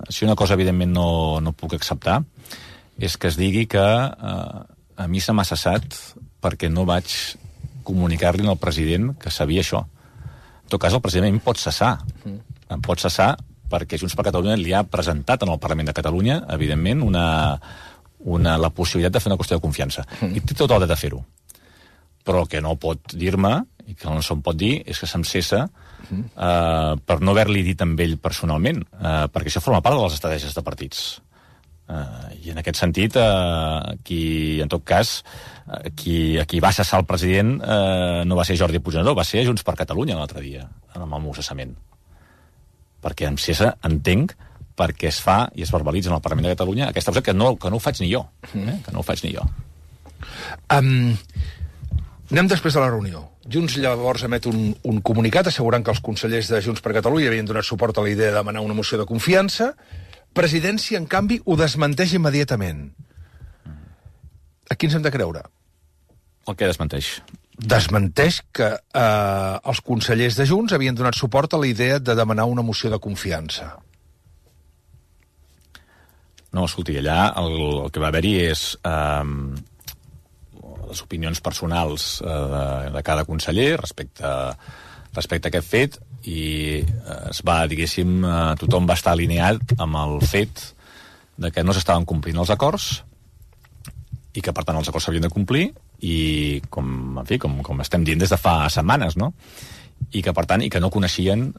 si una cosa, evidentment, no puc acceptar, és que es digui que a mi se m'ha cessat perquè no vaig comunicar-li al president que sabia això. En tot cas, el president em pot cessar. Em pot cessar perquè Junts per Catalunya li ha presentat en el Parlament de Catalunya, evidentment, la possibilitat de fer una qüestió de confiança. I té tot el dret de fer-ho. Però el que no pot dir-me, i que no se'm pot dir, és que se'm cessa per no haver-li dit amb ell personalment, perquè això forma part de les estratègies de partits. I en aquest sentit, en tot cas, qui va cessar el president no va ser Jordi Puigneró, va ser Junts per Catalunya l'altre dia, amb el meu cessament. Perquè em cessa, entenc, perquè es fa i es verbalitza en el Parlament de Catalunya aquesta cosa que no ho faig ni jo. Que no ho faig ni jo. Anem després de la reunió. Junts llavors emet un comunicat assegurant que els consellers de Junts per Catalunya havien donat suport a la idea de demanar una moció de confiança. Presidència, en canvi, ho desmenteix immediatament. A qui ens hem de creure? El que desmenteix? Desmenteix que els consellers de Junts havien donat suport a la idea de demanar una moció de confiança. No, escolti, allà el que va haver-hi és... les opinions personals de cada conseller respecte a aquest fet i es va, diguéssim, tothom va estar alineat amb el fet de que no s'estaven complint els acords i que, per tant, els acords s'havien de complir i, com estem dient des de fa setmanes, no? I que, per tant, que no coneixien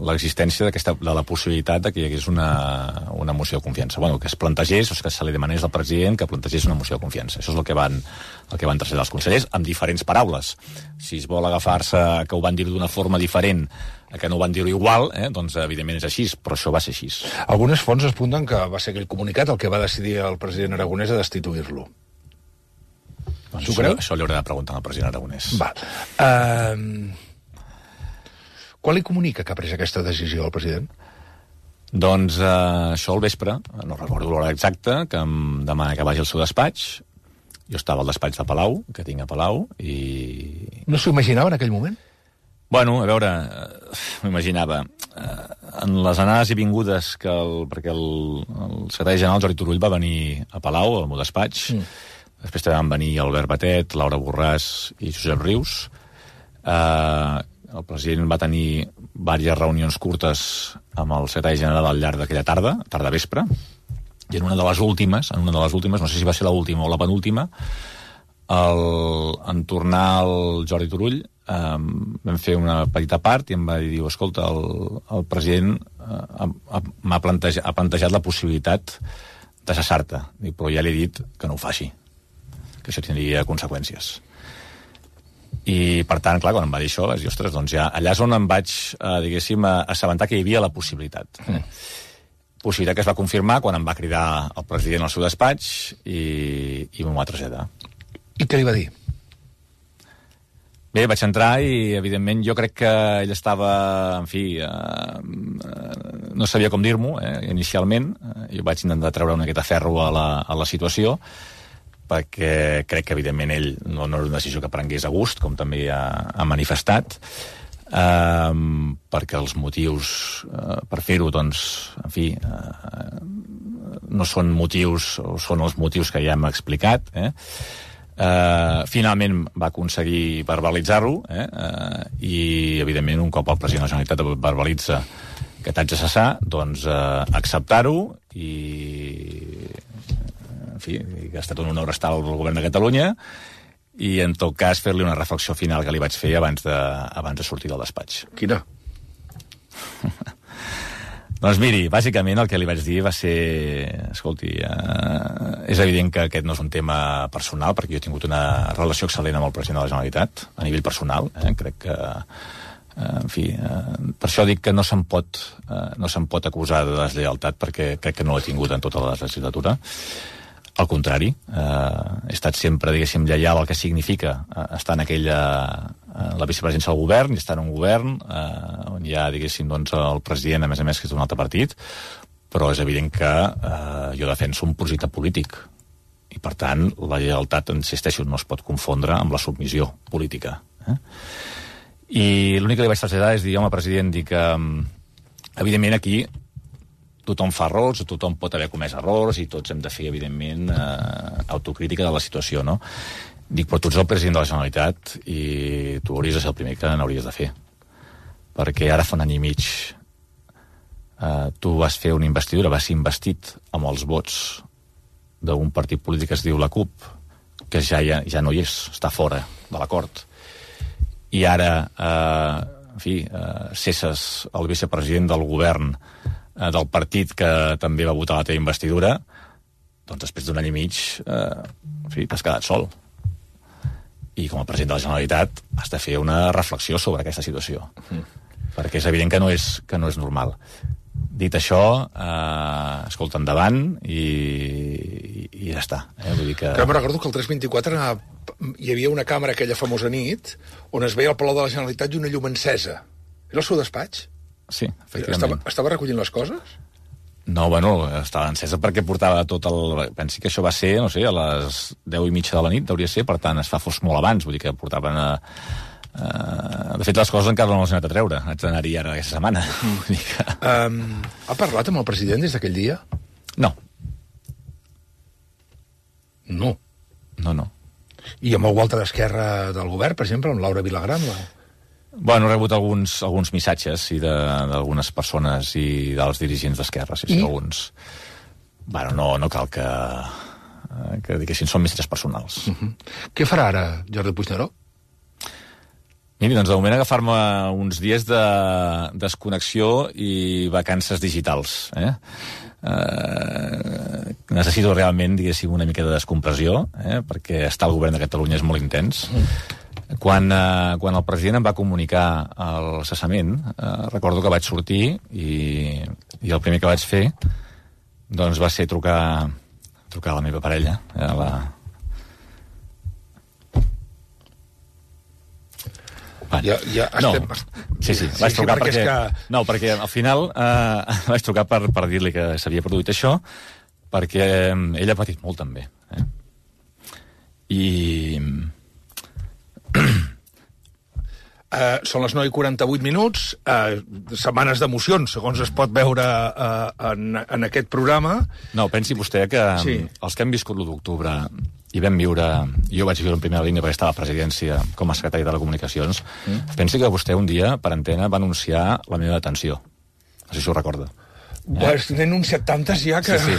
l'existència de la possibilitat de que hi hagués una moció de confiança. Bueno, que es plantegés, o que se li demanés al president que plantegés una moció de confiança. Això és el que van traslladar els consellers, amb diferents paraules. Si es vol agafar-se que ho van dir d'una forma diferent, que no ho van dir igual, doncs evidentment és així, però això va ser així. Algunes fonts apunten que va ser aquell comunicat el que va decidir el president Aragonès a destituir-lo. Això li haurà de preguntar al president Aragonès. Quan li comunica que ha pres aquesta decisió al president? Doncs això al vespre, no recordo l'hora exacta, que em demana que vagi al seu despatx. Jo estava al despatx de Palau, que tinc a Palau, i... No s'ho imaginava en aquell moment? Bueno, a veure, m'ho imaginava. En les anades i vingudes, perquè el secretari general Jordi Turull va venir a Palau, al meu despatx, després també van venir Albert Batet, Laura Borràs i Josep Rius. el president va tenir diverses reunions curtes amb el secretari general al llarg d'aquella tarda-vespre, i en una de les últimes, no sé si va ser l'última o la penúltima, en tornar al Jordi Turull, vam fer una petita part i em va dir, escolta, el president ha plantejat la possibilitat de cessar-te, però ja li he dit que no ho faci, que això tindria conseqüències. I, per tant, clar, quan em va dir això, vaig dir, ostres, doncs ja allà és on em vaig, diguéssim, assabentar que hi havia la possibilitat. Possibilitat que es va confirmar quan em va cridar el president al seu despatx i m'ho va traslladar. I què li va dir? Bé, vaig entrar i, evidentment, jo crec que ell estava, en fi, no sabia com dir-m'ho, inicialment. Jo vaig intentar treure una miqueta ferro a la situació, perquè crec que, evidentment, ell no era una decisió que prengués a gust, com també ha manifestat, perquè els motius per fer-ho, doncs, en fi, no són motius, o són els motius que ja hem explicat, finalment va aconseguir verbalitzar-ho, i, evidentment, un cop el president de la Generalitat verbalitza que t'haig de cessar, doncs acceptar-ho i, en fi, que ha estat un honor estar al govern de Catalunya, i, en tot cas, fer-li una reflexió final que li vaig fer abans de sortir del despatx. Quina? Doncs miri, bàsicament el que li vaig dir va ser, escolti, és evident que aquest no és un tema personal, perquè jo he tingut una relació excel·lent amb el president de la Generalitat, a nivell personal, crec que, en fi, per això dic que no se'n pot acusar de deslleialtat, perquè crec que no l'he tingut en tota la legislatura. Al contrari, he estat sempre, diguéssim, lleial al que significa estar en la vicepresidència del govern, i estar en un govern on hi ha, diguéssim, doncs, el president, a més, que és d'un altre partit, però és evident que jo defenso un projecte polític, i, per tant, la lleialtat, insisteixo, no es pot confondre amb la submissió política. I l'únic que li vaig traslladar és dir, home, president, dic que, evidentment, aquí tothom fa errors, tothom pot haver comès errors i tots hem de fer, evidentment, autocrítica de la situació, no? Dic, però tu ets el president de la Generalitat i tu hauries de ser el primer que n'hauries de fer. Perquè ara fa un any i mig tu vas fer una investidura, vas ser investit amb els vots d'un partit polític que es diu la CUP, que ja no hi és, està fora de l'acord. I ara, en fi, cesses el vicepresident del govern del partit que també va votar la teva investidura, doncs després d'un any i mig, en fi, t'has quedat sol. I com a president de la Generalitat has de fer una reflexió sobre aquesta situació. Perquè és evident que no és normal. Dit això, escolta, endavant i ja està. Vull dir que... Però me'n recordo que el 324 hi havia una càmera aquella famosa nit on es veia el Palau de la Generalitat i una llum encesa. Era el seu despatx? Sí, efectivament. Estava recollint les coses? No, bueno, estava encesa perquè portava tot el... Pensi que això va ser, no sé, a les 10:30 de la nit, hauria ser, per tant, es fa fos molt abans, vull dir que portaven de fet, les coses encara no les he anat a treure. Haig d'anar-hi ara aquesta setmana. Vull dir que... Ha parlat amb el president des d'aquell dia? No. No? No. I amb algú altre d'Esquerra del govern, per exemple, amb Laura Vilagrán? Bueno, he rebut alguns missatges d'algunes persones i dels dirigents d'Esquerra, sí, alguns. Bueno, no cal que diguessin, són missatges personals. Què farà ara Jordi Puigneró? Miri, doncs de moment agafar-me uns dies de desconnexió i vacances digitals. Necessito realment, diguéssim, una mica de descompressió, perquè estar al govern de Catalunya és molt intens. Quan el president em va comunicar el cessament, recordo que vaig sortir i el primer que vaig fer doncs va ser trucar a la meva parella, Sí, vaig trucar perquè... No, perquè al final vaig trucar per dir-li que s'havia produït això, perquè ell ha patit molt també. Són les 9:48, setmanes d'emocions, segons es pot veure en aquest programa. No, pensi vostè que els que hem viscut l'1 d'octubre i vam viure... Jo vaig viure en primera línia perquè estava a la presidència com a secretari de Telecomunicacions. Pensi que vostè un dia, per antena, va anunciar la meva detenció. No sé si ho recorda. N'he anunciat tantes ja que... Sí.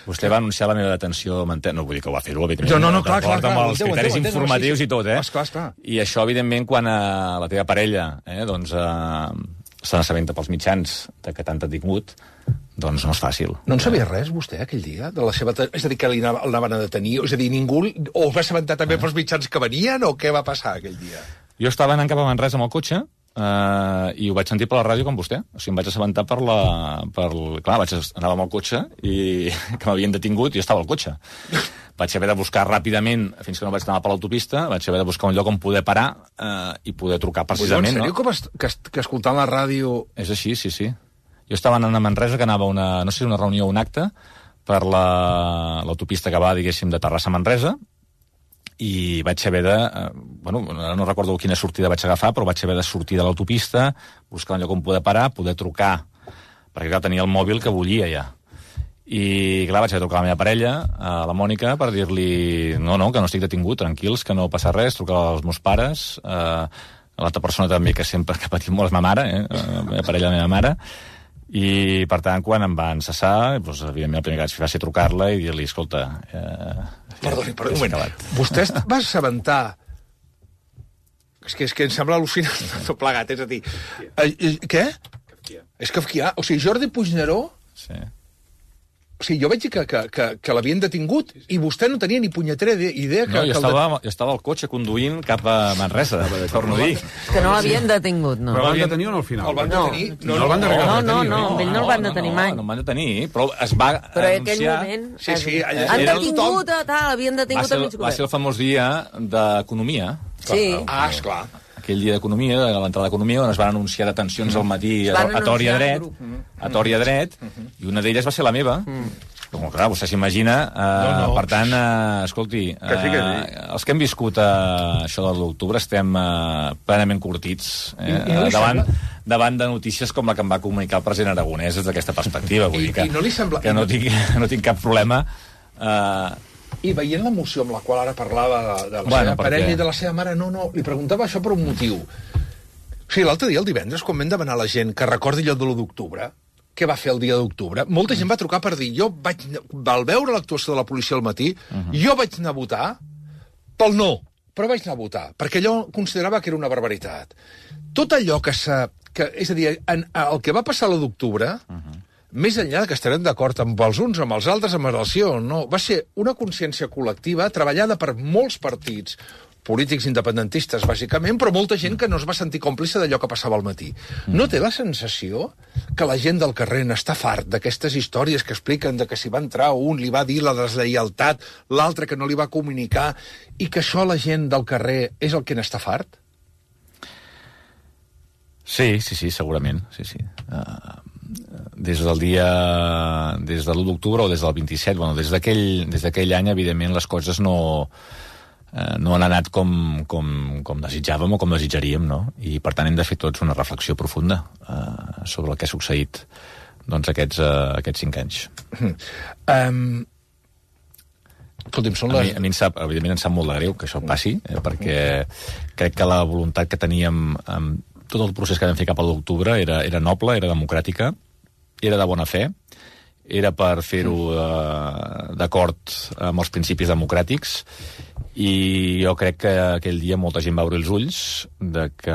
Vostè va anunciar la meva detenció... No vull dir que ho va fer-ho, evidentment. No, clar. Amb els criteris informatius i tot, Esclar. I això, evidentment, quan la teva parella se n'assabenta pels mitjans que t'han detingut, doncs no és fàcil. No en sabia res, vostè, aquell dia? De la seva... És a dir, que el anaven a detenir? És a dir, ningú... O es va assabentar també pels mitjans que venien, o què va passar aquell dia? Jo estava anant cap a Manresa amb el cotxe, i ho vaig sentir per la ràdio com vostè. O sigui, em vaig assabentar Clar, anava amb el cotxe i que m'havien detingut i jo estava al cotxe. Vaig haver de buscar ràpidament, fins que no vaig anar per l'autopista, vaig haver de buscar un lloc on poder parar i poder trucar precisament. En sèrio, que escoltant la ràdio... És així, sí. Jo estava anant a Manresa, que anava a una reunió o un acte per l'autopista que va, diguéssim, de Terrassa a Manresa, i vaig haver de... no recordo quina sortida vaig agafar, però vaig haver de sortir de l'autopista, buscar un lloc on poder parar, poder trucar, perquè clar, tenia el mòbil que bullia ja. I clar, vaig haver de trucar a la meva parella, a la Mònica, per dir-li no, que no estic detingut, tranquils, que no passa res, trucar als meus pares, l'altra persona també que sempre ha patit molt és ma mare, la meva parella, la meva mare, i per tant, quan em van cessar, doncs, evidentment el primer que vaig fer va ser trucar-la i dir-li, escolta... Perdoni, un moment. Vostè va assabentar... És que em sembla al·lucinant tot plegat, és a dir... Què? És kafkià. O sigui, Jordi Puigneró... Sí. O sigui, jo veig que l'havien detingut i vostè no tenia ni punyetera idea que... No, jo estava al cotxe conduint cap a Manresa, torno a dir. Que no l'havien detingut, no. Però el van detenir o no al final? El van detenir? No, el no el van detenir mai. No el van detenir, però es va anunciar... Però en aquell moment... Sí, han detingut, havien detingut a mig govern. Va ser el famós dia d'Economia. Sí. Ah, esclar. Aquell dia d'Economia, a l'entrada d'Economia, on es van anunciar detencions al matí a Tori a dret, i una d'elles va ser la meva. Com, clar, vostè s'imagina. Per tant, escolti, els que hem viscut això de l'octubre estem plenament curtits davant de notícies com la que em va comunicar el president Aragonès des d'aquesta perspectiva. Vull dir que no tinc cap problema... I veient l'emoció amb la qual ara parlava de la seva parella i de la seva mare, no, li preguntava això per un motiu. O sigui, l'altre dia, el divendres, quan vam demanar a la gent que recordi allò de l'1 d'octubre, què va fer el dia d'octubre, molta gent va trucar per dir, al veure l'actuació de la policia al matí, jo vaig anar a votar pel no, però vaig anar a votar, perquè allò considerava que era una barbaritat. Tot allò és a dir, el que va passar l'1 d'octubre... Més enllà que estarem d'acord amb els uns, amb els altres, amb relació, no. Va ser una consciència col·lectiva treballada per molts partits, polítics independentistes, bàsicament, però molta gent que no es va sentir còmplice d'allò que passava al matí. No té la sensació que la gent del carrer n'està fart d'aquestes històries que expliquen de que si va entrar un li va dir la deslleialtat, l'altre que no li va comunicar, i que això la gent del carrer és el que n'està fart? Sí, segurament, sí. Des de l'1 d'octubre o des del 27, des d'aquell any, evidentment, les coses no han anat com desitjàvem o com desitjaríem, no? I, per tant, hem de fer tots una reflexió profunda sobre el que ha succeït aquests 5 anys. Escolti'm, a mi evidentment em sap molt de greu que això passi, perquè crec que la voluntat que teníem amb tot el procés que vam fer cap a l'octubre era noble, era democràtica, era de bona fe, era per fer-ho d'acord amb els principis democràtics, i jo crec que aquell dia molta gent va obrir els ulls de que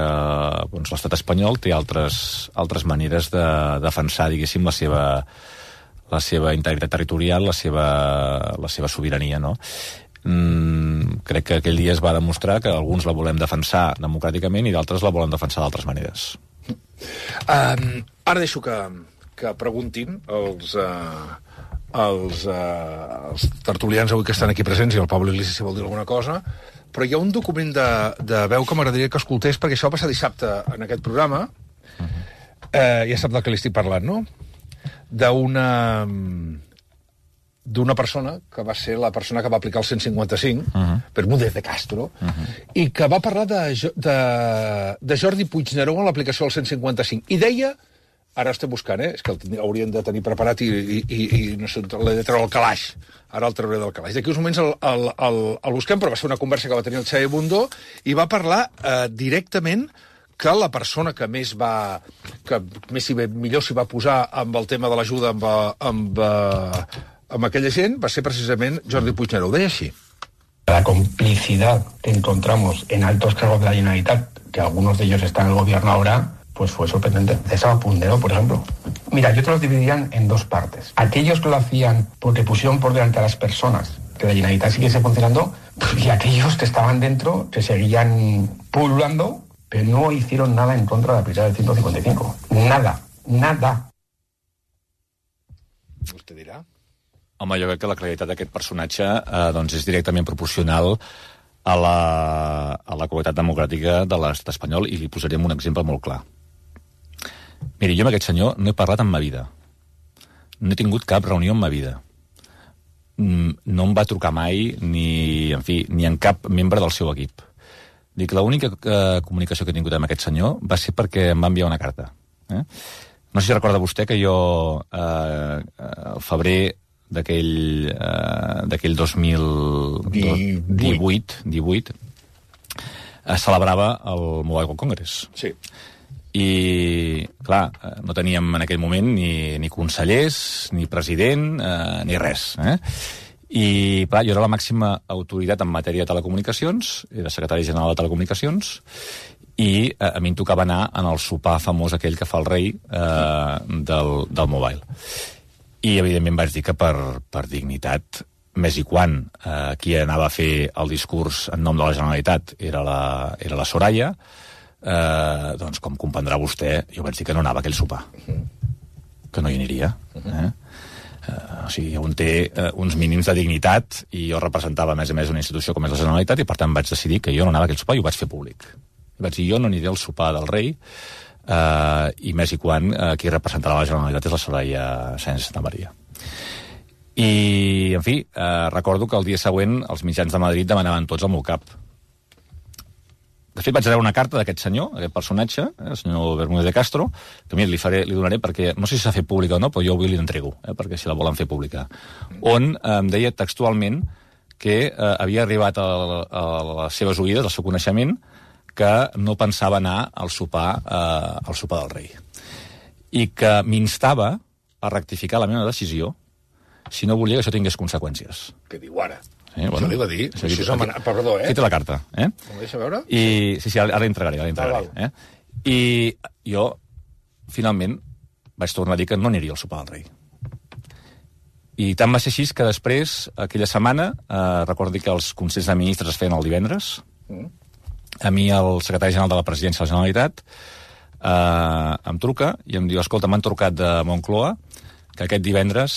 l'estat espanyol té altres maneres de defensar, diguéssim, la seva integritat territorial, la seva sobirania, no? Crec que aquell dia es va demostrar que alguns la volem defensar democràticament i d'altres la volen defensar d'altres maneres. Ara deixo que preguntin els tertulians avui que estan aquí presents i el Pablo Iglesias si vol dir alguna cosa, però hi ha un document de veu que m'agradaria que escoltés, perquè això va passar dissabte en aquest programa. Ja sap del que li estic parlant, no? D'una persona que va ser la persona que va aplicar el 155, Bermúdez de Castro, i que va parlar de Jordi Puigneró en l'aplicació del 155. I deia Ara estem buscant, és que haurien de tenir preparat i no sé, l'he de treure al calaix. Ara el trauré del calaix. D'aquí uns moments el busquem, però va ser una conversa que va tenir el Xavier Bundó i va parlar directament que la persona que millor s'hi va posar amb el tema de l'ajuda amb aquella gent va ser precisament Jordi Puigneró. Ho deia així. La complicidad que encontramos en altos cargos de la Generalitat, que algunos de ellos están en el gobierno ahora, pues fue sorprendente. De Saba Pundero, por ejemplo. Mira, yo te los dividiría en dos partes. Aquellos que lo hacían porque pusieron por delante a las personas, que la Generalitat siguiese funcionando, y aquellos que estaban dentro, que seguían pululando, pero no hicieron nada en contra de la prioridad del 155. Nada. Vostè dirà? Home, jo crec que la claritat d'aquest personatge doncs és directament proporcional a la qualitat democràtica de l'estat espanyol, i li posaríem un exemple molt clar. Miri, jo amb aquest senyor no he parlat en ma vida. No he tingut cap reunió en ma vida. No em va trucar mai ni en cap membre del seu equip. Dic, l'única comunicació que he tingut amb aquest senyor va ser perquè em va enviar una carta. No sé si recorda vostè que jo al febrer d'aquell 2018 celebrava el Mobile World Congress. Sí. I, clar, no teníem en aquell moment ni consellers, ni president, ni res. I, clar, jo era la màxima autoritat en matèria de telecomunicacions, era secretari general de Telecomunicacions, i a mi em tocava anar en el sopar famós aquell que fa el rei del Mobile. I, evidentment, vaig dir que per dignitat, més i quan qui anava a fer el discurs en nom de la Generalitat era la Soraya, doncs, com comprendrà vostè, jo vaig dir que no anava a aquell sopar. Que no hi aniria. O sigui, un té uns mínims de dignitat, i jo representava, a més una institució com és la Generalitat, i per tant vaig decidir que jo no anava a aquell sopar, i ho vaig fer públic. I vaig dir, jo no aniré al sopar del rei, i més i quan qui representarà la Generalitat és la Soraya Sáenz de Santamaría. I, en fi, recordo que el dia següent els mitjans de Madrid demanaven tots el meu cap. De fet, vaig rebre una carta d'aquest senyor, aquest personatge, el senyor Bermúdez de Castro, que a mi li donaré perquè, no sé si s'ha fet pública o no, però jo avui li entrego, perquè si la volen fer pública, on em deia textualment que havia arribat a les seves oïdes, al seu coneixement, que no pensava anar al sopar del rei. I que m'instava a rectificar la meva decisió si no volia que això tingués conseqüències. Què diu ara? Això li va dir? Perdó, Aquí té la carta. M'ho deixa veure? Sí, ara l'entregaré. I jo, finalment, vaig tornar a dir que no aniria al sopar del rei. I tant va ser així que després, aquella setmana, recordi que els Consells de Ministres es feien el divendres, a mi el secretari general de la Presidència de la Generalitat em truca i em diu, escolta, m'han trucat de Moncloa que aquest divendres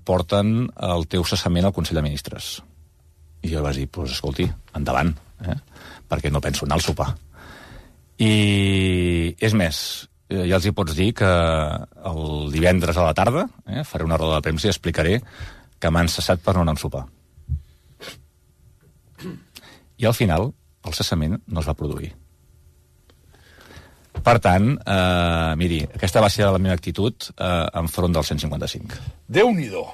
porten el teu cessament al Consell de Ministres. I jo vaig dir, doncs escolti, endavant, perquè no penso anar al sopar. I és més, ja els hi pots dir que el divendres a la tarda faré una roda de premsa i explicaré que m'han cessat per no anar a sopar. I al final, el cessament no es va produir. Per tant, miri, aquesta va ser la meva actitud enfront del 155. Déu-n'hi-do.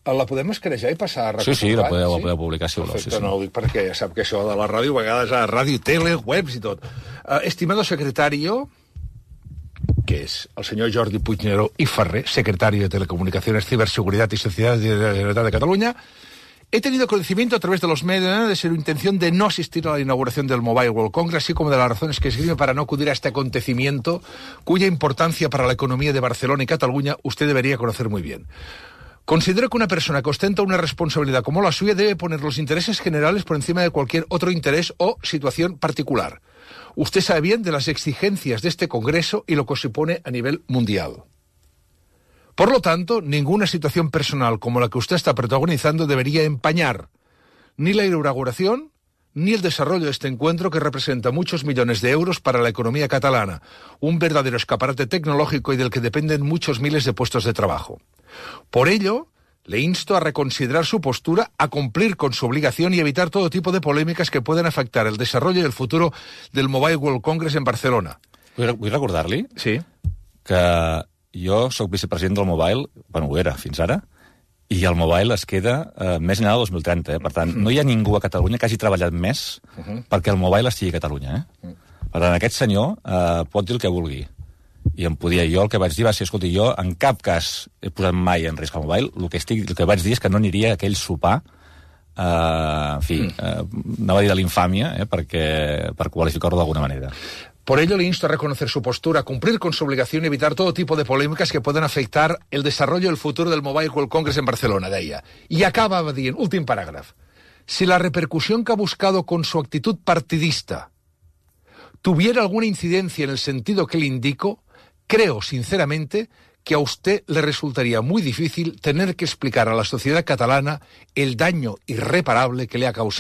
La podem escranejar i passar a recuperar? Sí, la podeu publicar, si voleu. Perfecte, no ho dic perquè ja sap que això de la ràdio, a vegades a ràdio, tele, webs i tot. Estimado secretario, que es el señor Jordi Puigneró y Ferrer, secretario de Telecomunicaciones, Ciberseguridad y Sociedad de la Generalitat de Cataluña, he tenido conocimiento a través de los medios de su intención de no asistir a la inauguración del Mobile World Congress, así como de las razones que esgrime para no acudir a este acontecimiento, cuya importancia para la economía de Barcelona y Cataluña usted debería conocer muy bien. Considero que una persona que ostenta una responsabilidad como la suya debe poner los intereses generales por encima de cualquier otro interés o situación particular. Usted sabe bien de las exigencias de este Congreso y lo que supone a nivel mundial. Por lo tanto, ninguna situación personal como la que usted está protagonizando debería empañar ni la inauguración ni el desarrollo de este encuentro que representa muchos millones de euros para la economía catalana, un verdadero escaparate tecnológico y del que dependen muchos miles de puestos de trabajo. Por ello, le insto a reconsiderar su postura, a cumplir con su obligación y evitar todo tipo de polémicas que puedan afectar el desarrollo y el futuro del Mobile World Congress en Barcelona. Vull recordar-li que jo sóc vicepresident del Mobile, ho era fins ara, i el Mobile es queda més enllà del 2030. Per tant, no hi ha ningú a Catalunya que hagi treballat més perquè el Mobile estigui a Catalunya. Per tant, aquest senyor pot dir el que vulgui. I em podia... Jo el que vaig dir va ser, escolti, jo en cap cas he posat mai en risc el Mobile. El que vaig dir és que no aniria a aquell sopar, anava a dir de l'infàmia, per qualificar-ho d'alguna manera. Por ello le insto a reconocer su postura, a cumplir con su obligación y evitar todo tipo de polémicas que puedan afectar el desarrollo y el futuro del Mobile World Congress en Barcelona, deia. Y acaba dient, últim paràgraf, si la repercusión que ha buscado con su actitud partidista tuviera alguna incidencia en el sentido que le indico, creo sinceramente que a usted le resultaría muy difícil tener que explicar a la sociedad catalana el daño irreparable que le ha causado